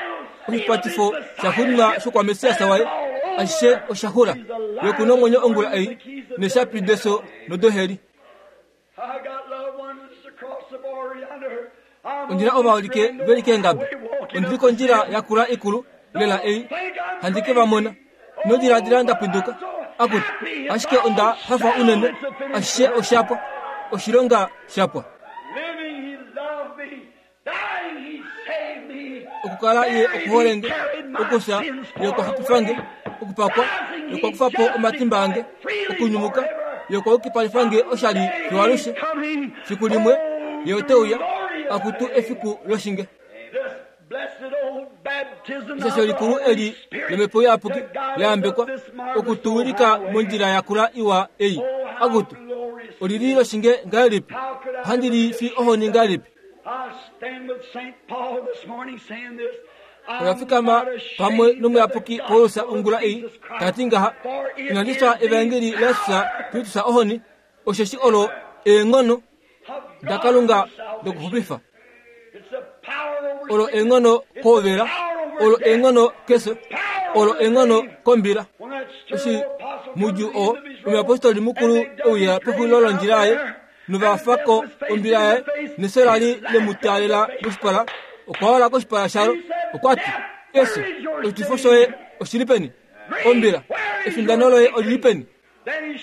oshipatifo shaxuuninwa shokwamesiasa waye ashishe oshaxula yokuna omwenyo ongula ei neshapi deso nodoheli. Ondjila ovaholike veli keengabe ondili kondjila yakula ikulu lela ei handi ke vamona nodiladila ndapinduka akuti ashike onda hafa unene ashishe oshapwa oshilonga shapwa. Okukala ye okuholenge okusa ye okwaxupifange okupakwa ye okwakufapo omatimba ange okunyumuka ye okwaukipalifange oshali fiwalushe fiku limwe ye oteuya akutu efiku loshinge. Ishasho likulu eli lomhepo iyapuki layambekwa okutuwilika mondjila yakula iwa ei akutu olili loshinge ngahelipi ohandi li fi ohoni ngahelipi. Oyafikama pamwe nomuyapuki Paulus ongula ei tati ngaha inandiswa evangeli laJesus Kristus ohoni osheshi olo eenghono daKalunga dokuxupifa olo eenghono koovela olo eenghono keso olo eenghono kombila. Eshi mudju oo omuyapostoli mukulu ouya pexulilo londjila yaye novafako ombila yaye neso lali lemutaalela moshipala okwa wala koshipala shalo okwa ti eso oshitifo shoye oshili peni ombila efindano loye olili peni.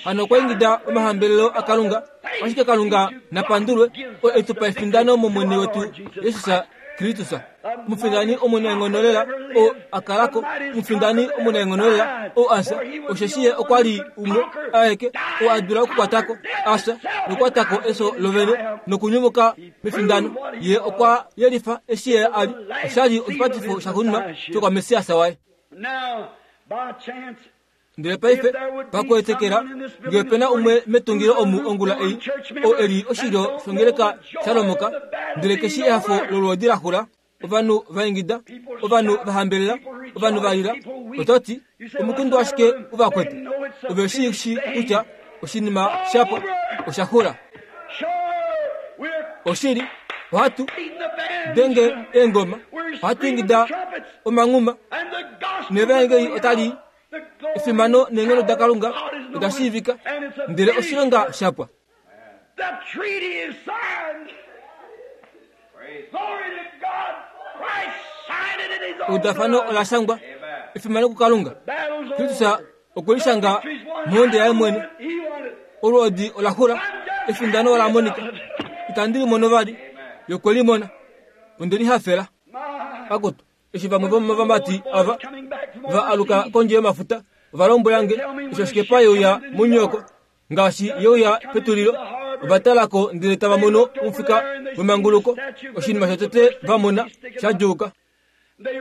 Hano okwa ingida omahambelelo aKalunga ashike Kalunga napandulwe o etupa efindano momwene wetu Jesus Kristus. Omufindani omunaenghono lela o akalako omufindani omunaenghono lela o asa osheshi ye okwa li umwe aeke o adula okukwatako asa nokukwatako eso lovene nokunyumuka mefindano. Ye okwa yelifa eshi ye ali oshali oshipatifo shaxuuninwa shokwamesiasa waye. Ndele paife pakuetekela ngee opena umwe metungilo omu ongula ei o eli oshilyo shongeleka shalomoka ndele keshi ehafo lolwoodi laxula ovanhu vaingida ovanhu vahambelela ovanhu valila ototi omukundu ashike uvakwete ove shi shi kutya oshinima shapwa oshaxula oshili ohatu denge eengoma ohatu ingida omanghuma nevaengeli otali efimano neenghono daKalunga oda shiivika ndele oshilonga shapwa. Eudafano ola shangwa efimano kuKalunga. Kristus okwe li shanga mohonde yaye mwene. Olwoodi ola xula, efindano ola monika. Itandi li mono vali, ye okwe li mona. Onde li hafela. Akutu, eshi vamwe vomovamati ava va aluka kondje yomafuta, ova lombwela nge eshi oshikepa yeuya muNyoko ngaashi yeuya petulilo, ova talako ndele tava mono omufika wemanguluko, oshinima shotete va mona sha djuuka.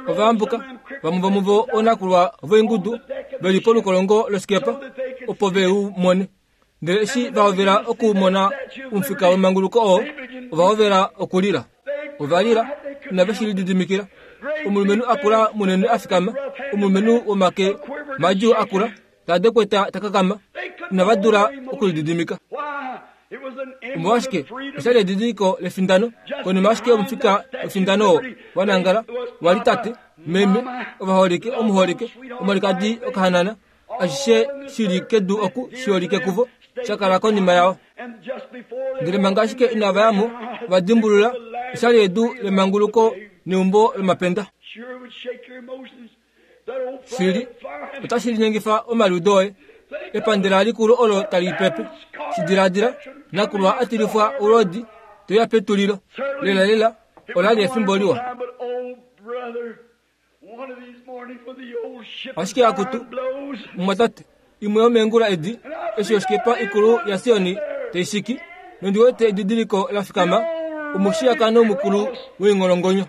Ova ambuka, vamwe vomuvo oonakulwa voingudu veli polukolongo losikepa opo ve u mone. Ndele eshi va hovela okumona omufika wemanguluko oo, ova hovela okulila. Ova lila, inave shi lididimikila. Omulumenhu akula munene a fikama, omulumenhu womake madjuu akula, ta dekweta ta kakama, inava dula okulididimika. Omolwashike oshali edidiliko lefindano? Konima ashike omufika wefindano oo wa nangala wali tate, meme, ovaholike, omuholike, omwalikadi okahanana, ashishe shili kedu oku shiholike kuvo, shakala konima yao. Ndele manga ashike inava yamo, ova dimbulula oshali edu lemanguluko neumbo lomapenda. Shili otashi linyengifa omaliudo oye. Epandela likulu olo tali pepe. Shidiladila, nakulwa atilifwa olwoodi toya petulilo. Lela lela ola li efimbo liwa. Ashike akutu, mumwatate, imwe yomeengula edi, eshi oshikepa ikulu yaSioni taishiki, nondi wete edidiliko la fikama, omushiyakano mukulu woingolongonyo.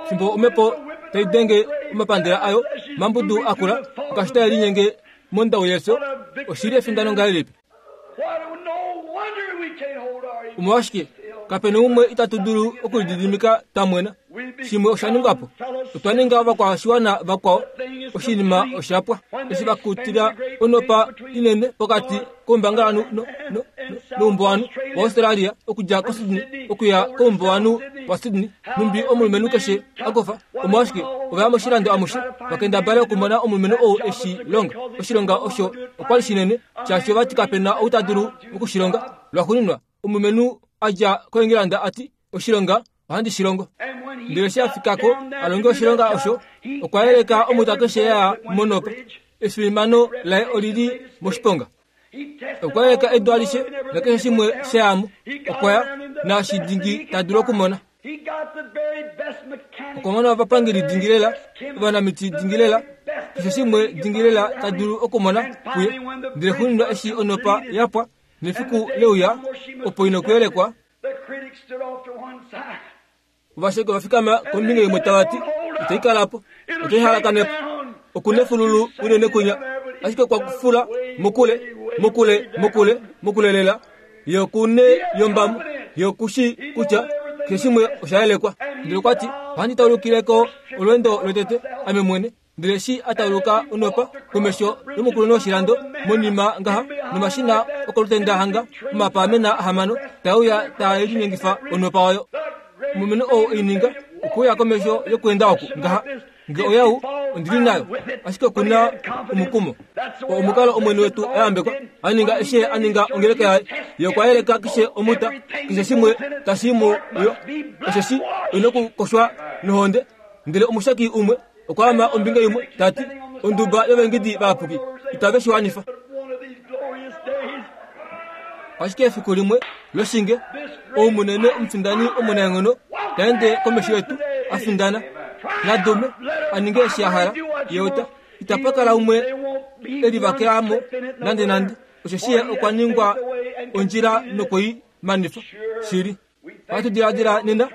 Fimbo omhepo tai denge omapandela ayo, mambudu akula, ngaashi tae linyenge mondau yefyo, oshili efindano ngahelipi? Omolwashike kapena umwe itatu dulu okulididimika twa mwena. Shimwe osha ningwa po. Otwa ninga ovakwashiwana vakwao. Oshinima oshapwa. Eshi vakutila onopa inene pokati koumbangalanhu no, no, noumbuwanhu waAustralia okudja koSydney okuya koumbuwanhu waSydney, numbi omulumenhu keshe a kofa. Omolwashike ova ya moshilando amushe vakendabale okumona omulumenhu ou eshi longa. Oshilonga osho okwa li shinene, shaashi ovati kapena ou ta dulu okushilonga. Lwaxuuninwa omulumenhu a dja koEngilanda ati oshilonga ohandi shi longo. Ndele eshi a fikako a longe oshilonga osho, okwa yeleka omuta keshe ya monopa. Efimano laye olili moshiponga. Okwa yeleka edu alishe nakeshe shimwe sha yamo. Okwa ya naashi dingi ta dulu okumona. Okwa mona ovapangeli dingilela, ovanamiti dingilela, keshe shimwe dingilela ta dulu okumona kuye. Ndele xuuninwa eshi onopa yapwa nefiku leuya opo ina okuyelekwa, ovasheki ova fikama kombinga imwe tava ti itai kalapo, otai halakanepo. Okuna efululu unene kunya, ashike okwa fula mokule, mokule, mokule, mokule lela. Ye okune yombamo, ye okushi kutya keshe shimwe osha yelekwa. Ndele okwa ti ohandi taulukileko olweendo lwotete ame mwene. Ndele eshi a tauluka onopa komesho yomukulunhu woshilando monima ngaha nomashina okolutenda hanga omapaamena ahamano tauya taa linyengifa onopa oyo. Omulumenhu ou eininga okuya komesho yokuenda oku ngaha nge oyau ondili nayo, ashike okuna omukumo. Omukalo omwene wetu ayambekwa aninga eshi aninga ongeleka yaye. Ye okwa yeleka keshe omuta, keshe shimwe tashi mu yo, osheshi oina okukoshwa nohonde. Ndele omushaki umwe okwa ama ombinga imwe tati onduba yovengidi vayapuki itave shi wanifa. Ashike efiku limwe loshinge oumunene omufindani omunaenghono taende komesho yetu a findana nadume a ninge eshi a hala. Ye ota itapa kala umwe elivakelamo nande nande, osheshi ye okwa ningwa ondjila nokwei manifa shili. Ohatu diladila nena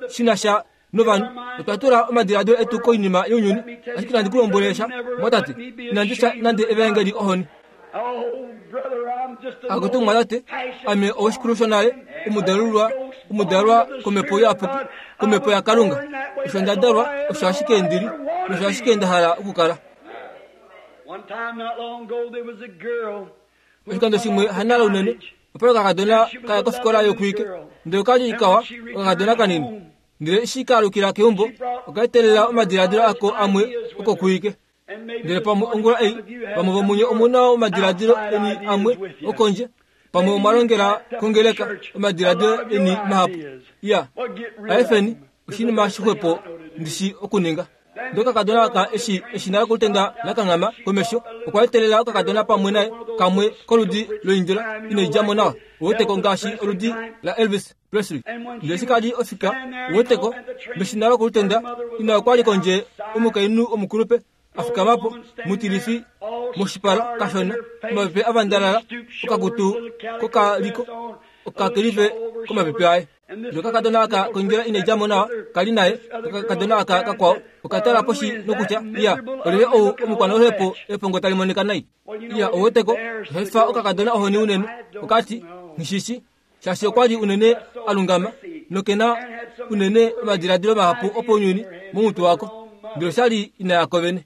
shina sha novanhu, otwa tula omadiladilo etu koinima younyuni, ashike inandi ku lombwele sha, mwatate, inandi sha nande evaengeli ohoni. Akutu mwatate, ame owoshikulu shonale, omudalulwa, omudalwa komhepo iyapuki, komhepo yaKalunga. Osho nda dalwa, osho ashike ndili, nosho ashike nda hala okukala. Oshikando shimwe hanala unene, opa okakadona kaya kofikola yokuike, ndele okali kawa okakadona kanini. Ndele eshi ka alukila keumbo, okaetelela omadiladilo ako amwe okokuike. Ndele pamwe ongula ei vamwe vomunye omuna omadiladilo eni amwe okondje, pamwe omwa longela kongeleka omadiladilo eni mahapu. Ya aefeni oshinima shixwepo ndishi okuninga. Ndele okakadona aka eshi eshina lokulutenda lakanghama komesho, okwa etelela okakadona pamwe naye kamwe koludi loindjila inaidjamo nawa, uweteko ngaashi oludi la Elvis Presley. Ndele eshi kali ofika, uweteko meshina lokulutenda, ina okwa li kondje omukainhu omukulupe afikamapo mutilifi moshipala kashona, omapepe avandalala, okakutu kokaliko okakelife komapepe aye. Ndele okakadona aka kondjila inaidjamo nawa kali naye, okakadona aka kakwao okatala poshi nokutya, iya, olyelye ou omukwanoluhepo epongo tali monika nai. Iya, ouweteko osha okakadona ohoni unene, okati nishishi shaashi okwa li unene alungama nokena unene omadiladilo mahapu opounyuni momutwe wako. Ndele oshali ina yako vene.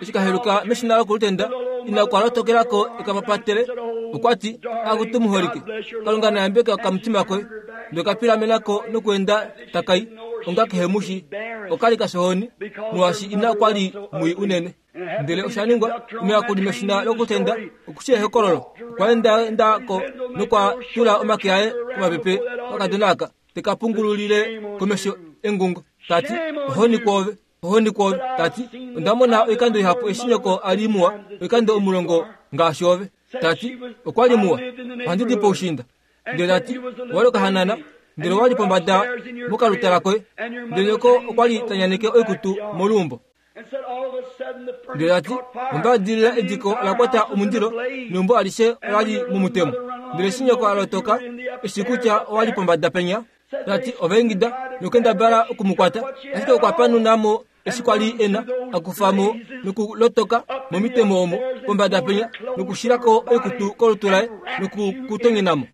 Eshi kaheluka meshina lokulutenda, ina okwa lotokelako ekapapatele, okwati akutu muholike, Kalunga nayambeke okamutima koye. Ndele okapilamenako nokuenda takai onga kehe mushi, okali kashohoni molwaashi ina okwa li mwii unene. Ndele osha ningwa omuyakuli meshina lokutenda okushi ehokololo, okwa endaendako nokwa tula omake aye komapepe kakadona aka teka pungululile komesho engungo, tati ohoni kwoove, ohoni kwoove, tati onda mona oikando ihapu eshi nyoko a li muwa, oikando omulongo ngaashi ove. Tati okwa li muwa, ohandi di poushinda. Ndele tati owali okahanana, ndele owali pombada mokalutala koye, ndele nyoko okwa li tanyaneke oikutu moluumbo. Ndele tati ombadilila ediko ola kwata omundilo neumbo alishe olali momutemo. Ndele eshi nyoko a lotoka eshi kutya owali pombada penya, tati ovaingida nokendabala okumukwata, ashike okwa panunamo eshi kwali ena akufamo nokulotoka momitemo omo pombada penya nokushilako oikutu kolutu laye nokukutonyenamo.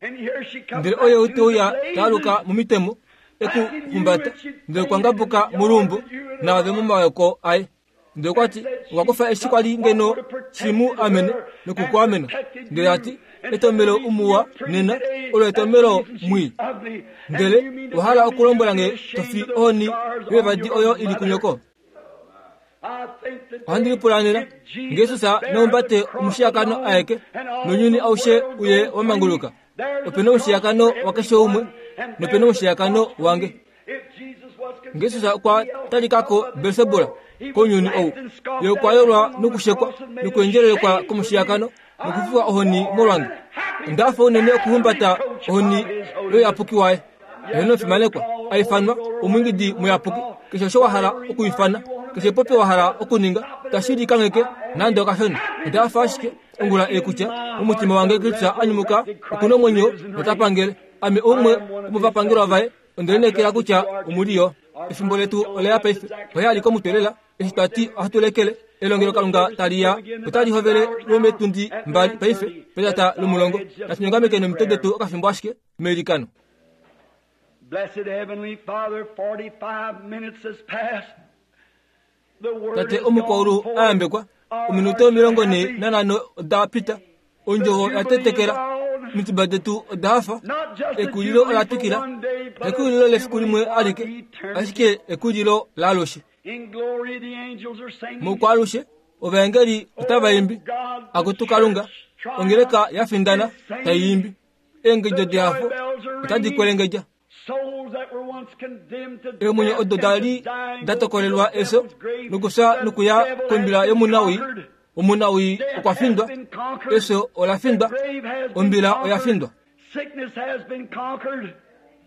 Ndele oye uteuya taaluka momitemo ekuhumbata, ndele okwa ngabuka moluumbo naave momayoko aye. Ndele okwati okwa kufa eshi kwali ngeno shimu amene nokukuamena. Ndele ati etomelo umuwa nena olo etomelo mwii. Ndele owahala okulombwela nge tofi ohoni yevadi oyo ili kunyoko. Ohandi lipula nena ngeJesus naumbate omushiyakano aeke nounyuni aushe uye wamanguluka. Opena omushiyakano wakeshe umwe nopena omushiyakano wange. NgeJesus okwa talikako Belsebula kounyuni ou, ye okwa yolwa nokushekwa nokuendjelelekwa komushiyakano nokufiwa ohoni molwange. Onda fa unene okuhumbata ohoni yoyapuki waye. Eheno fimanekwa aifanwa omwingidi muyapuki, keshe osho wa hala okuifana, keshe popi wa hala okuninga, tashi likangheke nande okashona. Onda fa ashike ongula ei kutya omutima wange Kristus anyumuka okuna omwenyo notapangele. Ame umwe womovapangelwa vaye, onde lineekela kutya omuliyo. Efimbo letu oleya paife, oye ali komutwelela eshi twati ohatu lekele elongelo Kalunga taliya, otali hovele lwometundi mbali paife petata lomulongo. Natu nyongameke nomitwe detu okafimbo ashike meilikano. Blessed Heavenly Father, forty-five minutes has passed. The word Tate has gone omukwaulu forth. ayambekwa, ominute omilongo ne nanhano oda pita, ondjovo yatetekela, omitima detu oda hafa, Not just a ekulilo jubilee ola for twikila, one day, but a ekulilo lefiku jubilee limwe for alike, eternity. ashike ekulilo laalushe. In glory the angels are singing. Mokwalushe ovaengeli otava imbi, akutu Kalunga, ongeleka ya findana tai imbi, eengedjo dehafo otadi kwelengedja. Souls that were once condemned to Eemwenyo death odo and dali to dying da tokolelwa go to the efyo devil's grave. nokufya The nokuya devil kombila has been yomunawii. conquered. Omunawii Death okwa has findwa, been conquered. efyo ola findwa, The grave has been ombila oya conquered. findwa, Sickness has been conquered.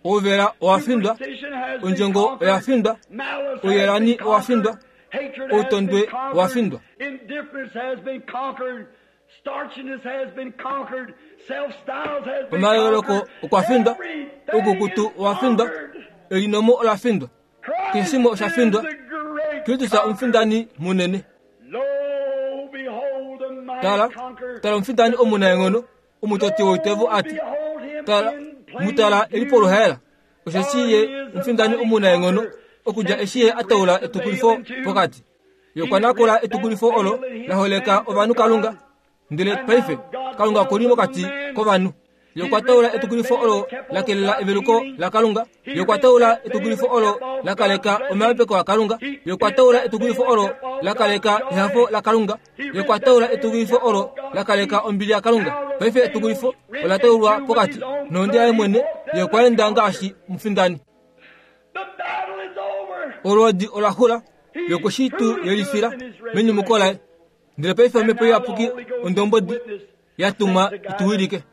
ouvela owa findwa, Superstition has been ondjongo conquered. oya findwa, Malice has ouyelani been owa findwa, conquered. Hatred has outondwe been conquered. owa findwa. Indifference has been conquered. Starchiness has been conquered. Self-styles has been omayooloko conquered. okwa findwa, Everything oukukutu is owa findwa, conquered. elinomo ola findwa, Christ Keshe osha findwa. is the great Kristus conqueror. omufindani munene. Lo, behold the mighty Tala, conqueror. tala omufindani omunaenghono, omutoti woitevo ati, Behold him tala, in plain mutala eli view. poluhaela, osheshi ye omufindani omunaenghono, okudja eshi ye ataula etukulifo pokati. Ye okwa nakula etukulifo olo la holeka ovanhu Kalunga, ndele paife Kalunga okuli mokati kovanhu. Ye okwa taula etukulifo olo la kelela eveluko la Kalunga. Ye okwa taula etukulifo olo la kaleka omayambeko aKalunga. Ye okwa taula etukulifo olo la kaleka ehafo la Kalunga. Ye okwa taula etukulifo olo la kaleka ombili yaKalunga. Paife etukulifo ola taulwa pokati nohonde yaye mwene. Ye okwa enda ngaashi omufindani. Olwoodi ola xula. Ye okwe shi tu yelifila menyumuko laye. Ndele paife omhepo iyapuki ondombodi ya tumwa ituwilike.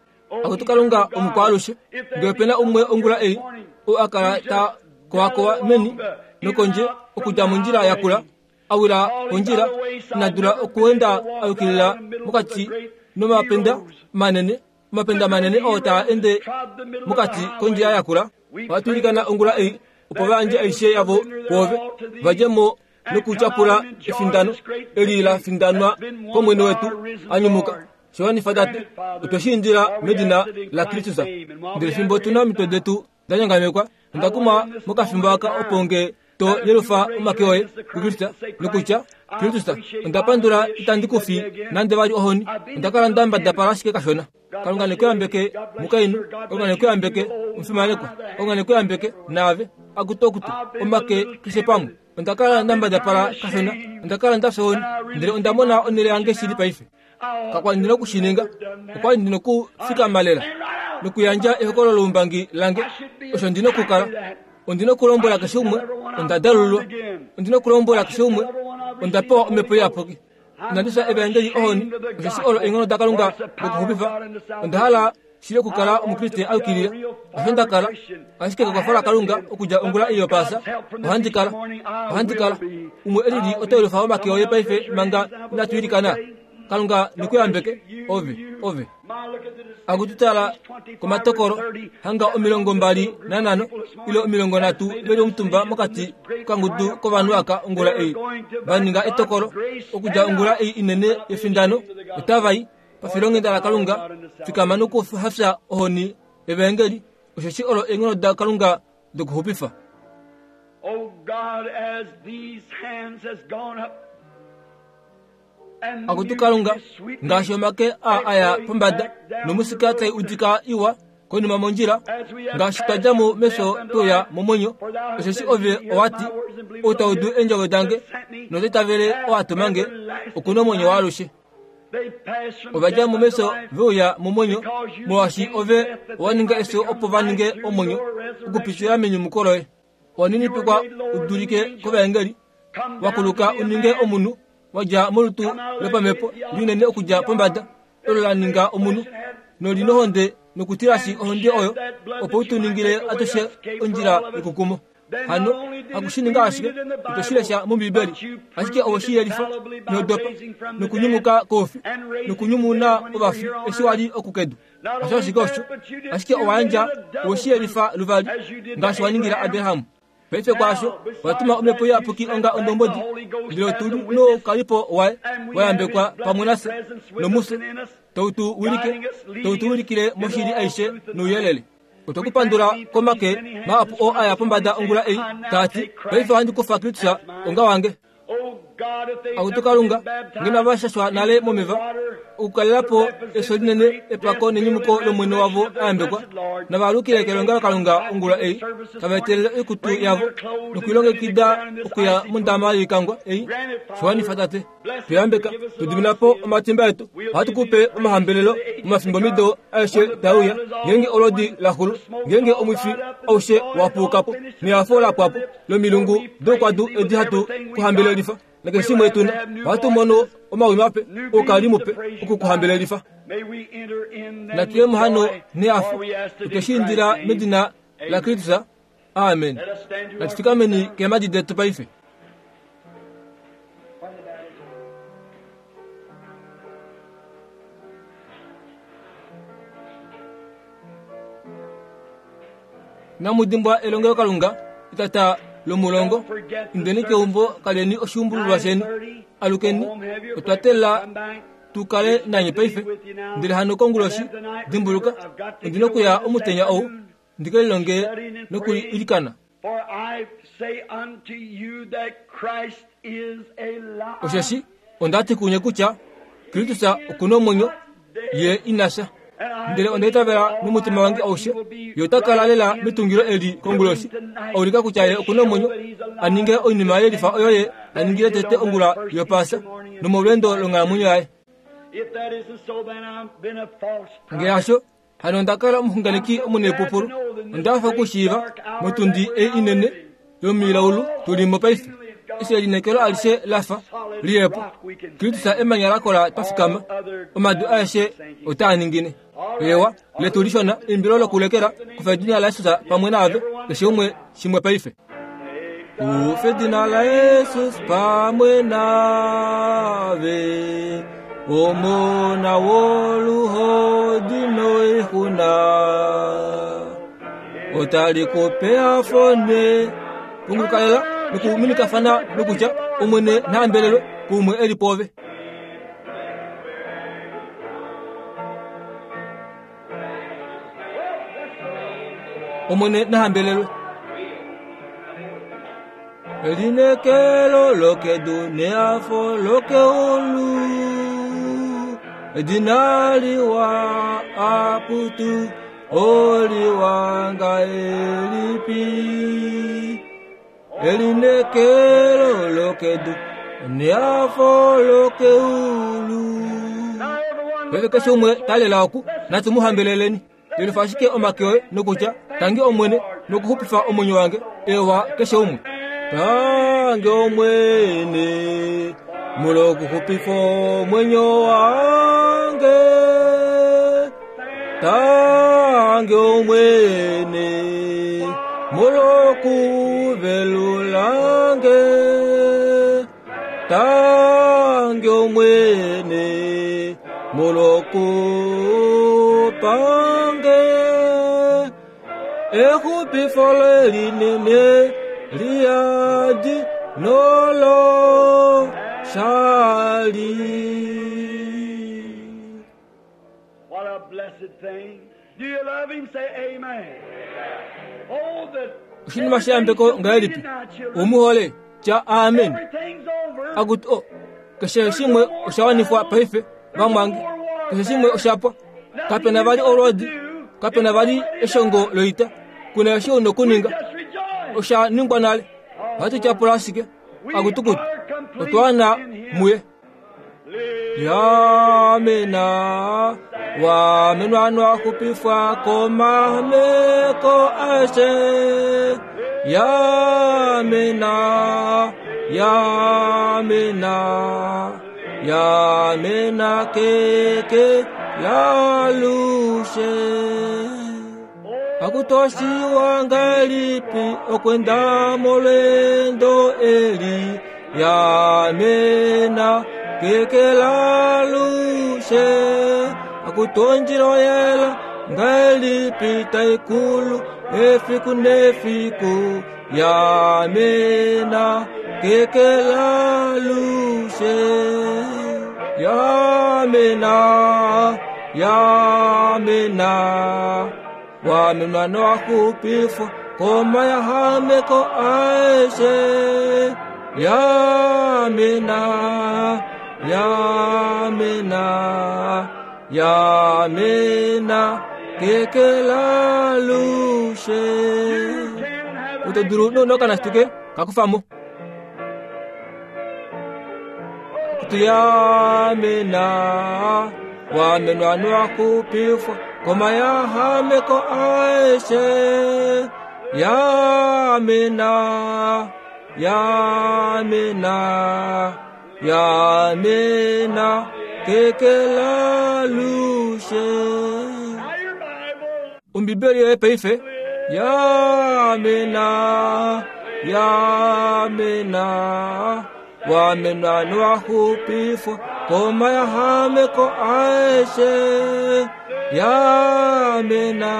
Akutu Kalunga omukwaalushe, ngee opena umwe ongula ei oo a kala ta kowakowa meni nokondje okudja mondjila yakula, a wila kondjila, ina dula okuenda a yukilila mokati nomapenda manene, omapenda manene oo taa ende mokati kondjila yakula, ohatu ilikana ongula ei opo va yandje aishe yavo kwoove, va dje mo nokutyapula efindano eli la findanwa kOmwene wetu a nyumuka. Showanifa tate, otwe shi indila medina la Kristus. Ndele fimbo tu na omitwe detu da nyangamekwa, onda kuma mokafimbo aka opo nge to yelufa omake oye kuKristus nokutya, Kristus, onda pandula itandi ku fi nande vali ohoni. Onda kala nda mbadapala ashike kashona. Kalunga ne ku yambeke mukainhu, Kalunga ne ku yambeke omufimanekwa, Kalunga ne ku yambeke naave. Akutu okutu, omake keshe pamwe. Onda kala nda mbadapala kashona, onda kala nda fya ohoni, ndele onda mona onhele yange shili paife. Kakwa li ndina okushininga, okwa li ndina okufikama lela nokuyandja ehokololo loumbangi lange. Osho ndina okukala. Ondina okulombwela keshe umwe, onda dalululwa. Ondina okulombwela keshe umwe, onda pewa omhepo iyapuki. Inandi fya evaengeli ohoni, osheshi olo eenghono daKalunga dokuxupifa. Onda hala shili okukala Omukriste a yukilila. Osho nda kala, ashike kekwafo laKalunga okudja ongula ei yopaasa, ohandi kala, ohandi kala. Umwe elili oto yelufa omake oye paife manga inatu ilikana. Kalunga ne ku yambeke, ove, ove. Akutu tala komatokolo, hanga omilongo mbali nanhano ile omilongo nhatu veli omutumba mokati kangudu kovanhu aka ongula ei va ninga etokolo okudja ongula ei inene yefindano, otava i pafilonghenda laKalunga. Fikama nokuhafya ohoni evaengeli, osheshi olo eenghono daKalunga dokuxupifa. Oh God, as these hands has gone up, and Akutu Kalunga, ngaashi omake a aya pombada nomusika tai udika iwa konima mondjila, ngaashi twa dja mo mefyo tweuya momwenyo, osheshi ove owati, ou ta udu eendjovo dange nota itavele oo a tuma nge, oku na omwenyo waalushe. they pass from Ova dja death mo unto mefyo life, veuya momwenyo, molwaashi ove owa ninga efyo opo va ninge omwenyo okupitila menyumuko loye. Owa ninipikwa u dulike kovaengeli, come wa down kuluka to be u a ninge man, omunhu, wa dja molutu lopamhepo linene okudja pombada, olo la ninga omunhu, noli nohonde nokutilashi ohonde oyo, opo u tu ningile atushe ondjila yokukumo. Hano hakushininga ashike, ito shi lesha mOmbiibeli, ashike owe shi yelifa nodopa nokunyumuka koufi nokunyumuna ovafi eshi wali okukedu. Hasho ashike osho, ashike owa yandja owe shi yelifa luvali ngaashi wa ningila Abraham. Paife kwaasho owa tuma omhepo iyapuki onga ondombodi, ndele otu noukalipo waye wa yambekwa pamwe nafye nomufye, tau tu wilike, tau tu wilikile moshili aishe nouyelele. Otwe ku pandula komake mahapu oo aya pombada ongula ei, taa ti, paife ohandi kufa Kristus onga wange. Oh God, if they've Akutu never Kalunga, been baptized ngeno va shashwa nale momeva, okukalela po efyo linene epako nenyumuko lOmwene wavo a yambekwa, nava alukile kelongelo Kalunga ongula ei, tava etelele oikutu yavo nokulilongekida okuya mondama yoikangwa ei. Showanifa tate, tu yambeka, tu dimina po omatimba etu, ohatu ku pe omahambelelo momafimbomido aeshe tae uya, ngeenge olwoodi la xulu, ngeenge omwifi aushe wa puuka po, nehafo la pwa po lomilungu doukwadu edi hatu ku hambelelifa. Nakeshe shimwe tuna, ohatu mono omawi mape, oukali mupe oku ku hambelelifa. May we enter in then Natuye with muhano joy, nehafo, for we ask it otwe in shi indila Christ's name. medina la Kristus. Amen. Let us stand to our Natufikameni feet now. keemhadi detu paife. Namudimbwa elongelo Kalunga etata lomulongo, indeni keumbo kaleni oshuumbululwa sheni, alukeni, otwa teelela tu kale nanye paife. Ndele hano konguloshi, dimbuluka, ondina okuya omutenya ou, ndike lilonge nokuilikana. For I say unto you that Christ is alive. Osheshi ondati kunye kutya Kristus oku na omwenyo, ye ina fya. Ndele onda itavela nomutima wange aushe ye ota kala lela metungilo eli konguloshi aulika kutya ye okuna omwenyo aninge oinima yelifa oyo ye aningile tete ongula yopaasa nomolweendo longhalamwenyo yaye. Ngee hasho hano onda kala omuxunganeki omunepupulu onda hafa okushiiva motundi ei inene yomilaulu tulimo paife eshi elineekelo alishe lafa liyepo Kristus emanya lakola twafikama omadu aeshe otaa ningine. Ewa letu lishona eimbilo lokulekela kufa edina laYesus pamwe naave keshe umwe shimwe paife. Kufa edina laYesus pamwe naave omona woluhodi noixuna otali kupe afone pungulukalela nokuminikafana nokutya omwene nahambelelwe kumwe eli pove. Omwene nahambelelwe. Elinekelo lokedu neafo lokeulu edina liwa aputu oliwanga elipi elinekelo lokedu neafo lokeulu. Pele keshe umwe talela oku natu muhambeleleni yelifa ashike omake oye nokutya tangi omwene nokuxupifa omwenyo wange ewa keshe umwe. Tangi omwene mulokuxupifa omwenyo wange tangi omwene mulokuvelulange tangi omwene mulokupange exupifo lelinene liadi nolo shali. What a blessed thing. Do you love him? Say amen. Oh, the Oshinima sheyambeko ngahelipi umuhole tya amen. Akuti o keshe shimwe oshawanifwa paife vamwange keshe shimwe oshapwa kapena vali olwodi kapena vali eshongo loita kuna eshi una okuninga oshaningwa nale ohatu tyapula ashike akutukutu otwana muye. Yamena wamenwa xupifwa komameko aeshe yamena yamena yamena keke lalushe akutoshiwa ngalipi okwenda molwendo eli yamena keke lalushe akutonjilo yela ngalipi taikulu efiku nefiku yamena keke lalushe yamena yamena wamenwa noxupifwa komayahameko aeshe yamena yamena yamena keke lalushe. Utoduru nonokana situke kakufamo kutu yamena wamenwa noxupifwa komayahameko aeshe yamena yamena yamena keke lalushe. Ombibeli yoye paife yamena yamena wamenwa noxupifwa komayahameko aeshe yamena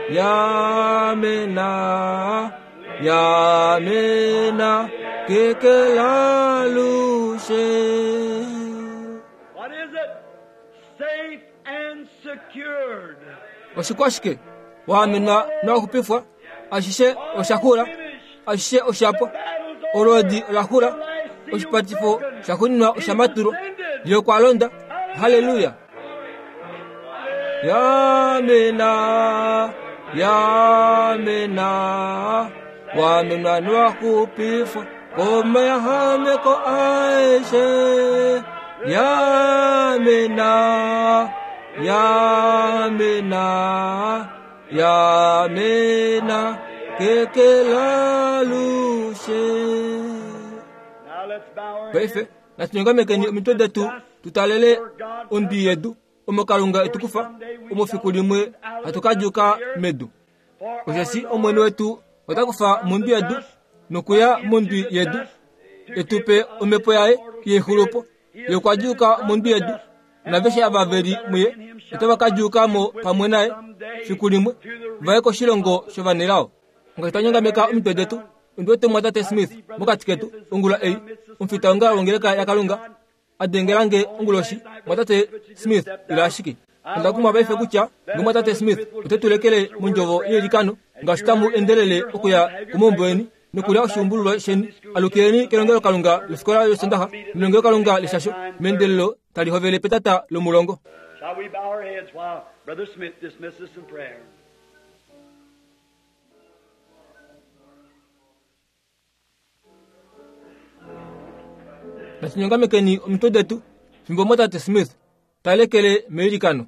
yamena yamena keke lalushe. What is it? Safe and secured. Oshikwashike wamenwa noxupifwa ashishe oshakula ashishe oshapwa olwodi olakula oshipatifo shakuninwa oshamatulwa yokwalonda. Haleluya. Yamena, yamena, wamenwa nowaxupifwa komayahameko aeshe. Yamena, yamena, yamena, kekelalushe. Now let's bow our Paife heads. natunyongamekeni omitwe detu tutalele ondwi yedu omo Kalunga etukufa omo fiku limwe hatu kadjuka medu. For Osheshi our Omwene wetu ota kufa mondwi yedu nokuya mondwi yedu etupe omhepo yaye yexulupo ye okwa djuuka mondwi yedu naveshe ava veli muye otava ka djuuka mo pamwe naye fiku limwe vaye koshilongo shovanelao. Ngaashi twanyongameka omitwe detu ondi wete mwatate Smith mokati ketu ongula ei omufita wongalo wongeleka yaKalunga adengelange onguloshi mwatate Smith ila ashike onda kumwa paife kutya ngomwatate Smith ote tulekele mondjovo yelikano ngaashi tamu endelele okuya komaumbo eni nokulya oshuumbululwa sheni alukileni kelongelo Kalunga lofikola yosondaxa nelongelo Kalunga leshasho meendelelo tali hovele petata lomulongo. Shall we bow our heads while Brother Smith dismisses us in prayer? Natunyongamekeni omitwe detu fimbo mwatate Smith talekele meilikano.